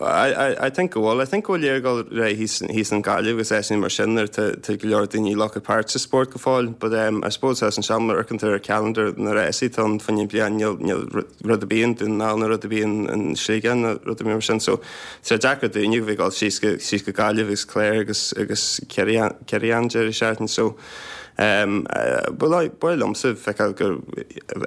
I, I, I think go bhfuil I think go bhfuil léir go ré thíos thíos in Gaillimh agus é mar sin ar tá go leor daoine glacadh páirt sa spórt go fóill, but um, I suppose as an seamar ar ar calendar na rásaí tá an fann bliain níl níl rud a bíonn dún ná na rud a bíonn an Sligeach na rud a bhíonn mar sin so tá deacair daoine bheith dul síos go síos go Gaillimh agus Clare agus agus Ciarraí an deireadh seachtaine so um, uh, ba liomsa feiceáil gur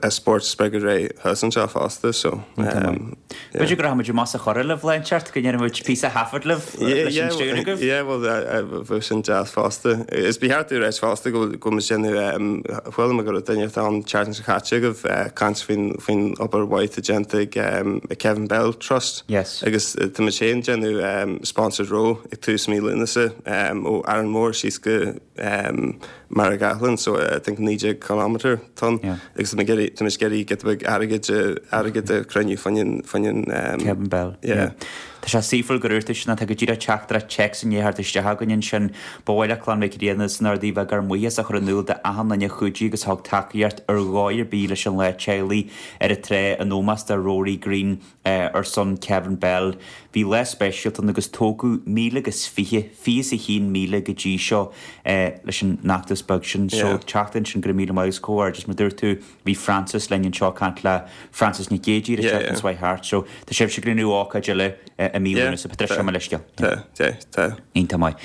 a spórt spreagadh ré thuas anseo fosta so um, B'fhéidir go rachaimid amach sa churach libh lá inteacht go ndéanfaimid píosa taifead libh leis an stiúir agaibh? Yeah, well bheadh sin deas fosta. Is ba cheart rá fosta go go mbeidh sin chuala mé go raibh duine an tseachtain seo caite agaibh caint faoin faoin obair mhaith déanta ag Kevin Bell Trust. Yes. Agus tá muid féin déanamh sponsored row ag tús mí Lúnasa ó Arranmore síos go um, mar Carraig Athlann so I think naoi déag kilometre atá ann agus tá muid tá muid ag iarraidh giota beag airgid airgid a chruinniú fá choinne fá choinne Kevin Bell. Yeah. Tá sé saoithiúil gur dhúirt tú sin, tá go díreach teachtaireacht téacs i ndiaidh theacht isteach againn ansin. Ba mhaith le Clann Mhic Grianna san Ardaí bheith ár mbuíochas a chur in iúl d'achan duine a chuidigh agus a thug tacaíocht ar dhóigh ar bith leis an Lá Teaghlaigh ar an trá in ómós do Rory Green ar son Kevin Bell. Bhí lá speisialta ann agus tógadh míle agus fiche, fiche is a haon míle go dtí seo leis an fheachtas beag sin. So teacht ansin go raibh míle maith agus comhghairdeas mar dúirt tú bhí Frances linn anseo ag caint le Frances Nic Géidigh ar an tseachtain seo thart. So tá sibhse ag rinneadh ócáid eile i mí Lúnasa. Patricia mo leithscéal. Tá, tá, tá. Iontach maith.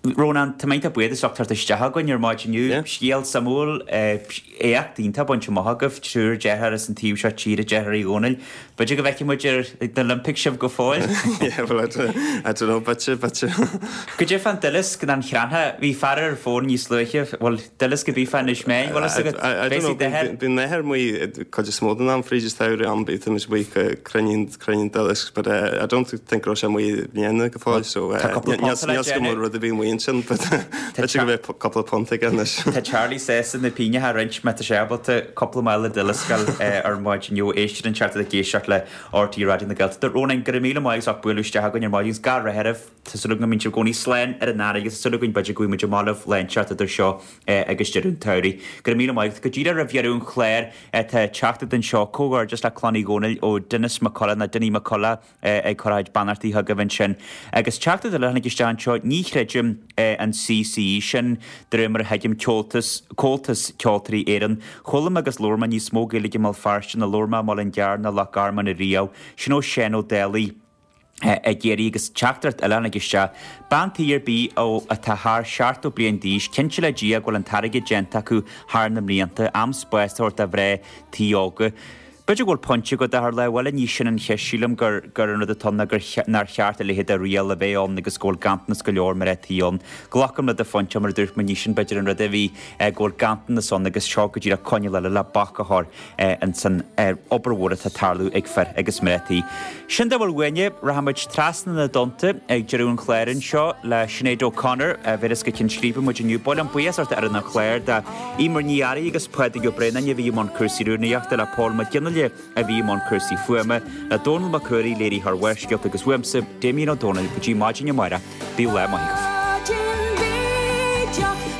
Rónán, tá mé iontach buíoch as ucht teacht isteach againn ar maidin inniu. Scéal suimiúil, éacht iontach bainte amach agaibh, triúr deartháir as an taobh seo tíre, deartháir Uí Dhónaill. B'fhéidir go bhfeicfidh muid ar na Olympics sibh go fóill? Yeah, well, I don't, I don't know, b'fhéidir, b'fhéidir. Goidé fán duileasc ná an chreatha? Bhí fear ar an bhfón níos luaithe, bhuel, duileasc a bhí fá Inis Meáin, bhfuil fhios agat? I don't know, bíonn m'athair amuigh cuid is mó den am fríd an samhradh am, bíonn muid amuigh ag cruinniú cruinniú duileasc, but uh, I don't think go raibh sé amuigh i mbliana go fóill, so uh, Tá cúpla níl punt le níl go déanamh. rud a bhí amuigh ansin, but b'fhéidir go mbeidh cúpla punt aige anois. Tá Charlie sásta na pínne a roinnt má tá sé ábalta cúpla mála duileasc ar maidin inniu. Éistear an teacht ag éisteacht le RTÉ Raidió na Gaeltachta. Rónán, go raibh míle maith as ucht bualadh isteach againn ar maidin agus gach rath oraibh. Tá súil agam go mbíonn sibh i gcónaí slán ar an fharraige agus tá súil againn b'fhéidir go bhfaighidh muid amach libh lá inteacht idir seo agus deireadh an tsamhraidh. Go raibh míle maith agat. Go díreach roimh dheireadh an chláir tá teachtaireacht anseo, comhghairdeas le Clann Uí Dhónaill ó Denis McCullough nó Dinny McCullough ag cur a chuid beannachtaí chugaibh ansin. Agus teachtaireacht eile a tháinig isteach anseo, ní chreidim an CCE sin, de réir mar a thuigim, Ceoltas, Comhaltas Ceoltóirí Éireann. Chuala mé agus labhair mé níos mó Gaeilge i mBéal Feirste ná labhair mé i mBaile an Ghearr ná Loch Garman ariamh. Sin ó Seán Ó Dálaigh ag iarraidh agus teachtaireacht eile a tháinig isteach. Bean tí ar bith ó atá thar seachtó bliain d'aois, cinnte le Dia go bhfuil an t-airgead déanta acu thar na mblianta, am spás a thabhairt do mhná tí óga. B'fhéidir go bhfuil pointe agat a Tharlaigh, bhuel ní sin an cheist, sílim gur gur an rud atá ann ná gur nár cheart a leithéid de riail a bheith ann agus go bhfuil ganntanas go leor mná tí ann. Glacaim le do phointe mar a dúirt mé, ní sin b'fhéidir an rud a bhí go bhfuil ganntanas ann agus seo go díreach coinníoll eile le bac a chur ins an obair mhór atá ag tarlú ag fir agus mná tí. Sin dá bhfuil uainne, rachaimid trasna na dtonnta ag deireadh an chláir anseo le Sinéad O'Connor a bhéaras go Cinn Scríbe muid inniu. Ba mhaith liom buíochas a thabhairt d'fhoireann an chláir, do Emer Ní Fhearraigh agus Pádraig Ó Braonáin a bhí i mbun cúrsaí rúnaíochta, le Paul Mac Fhionnaile a bhí i mbun cúrsaí fuaime, le Dónal Mac Ruairí, léiritheoir Bharrscéalta agus uaimse, Damien Ó Dónaill, go dtí maidin amárach, bíodh lá maith agaibh.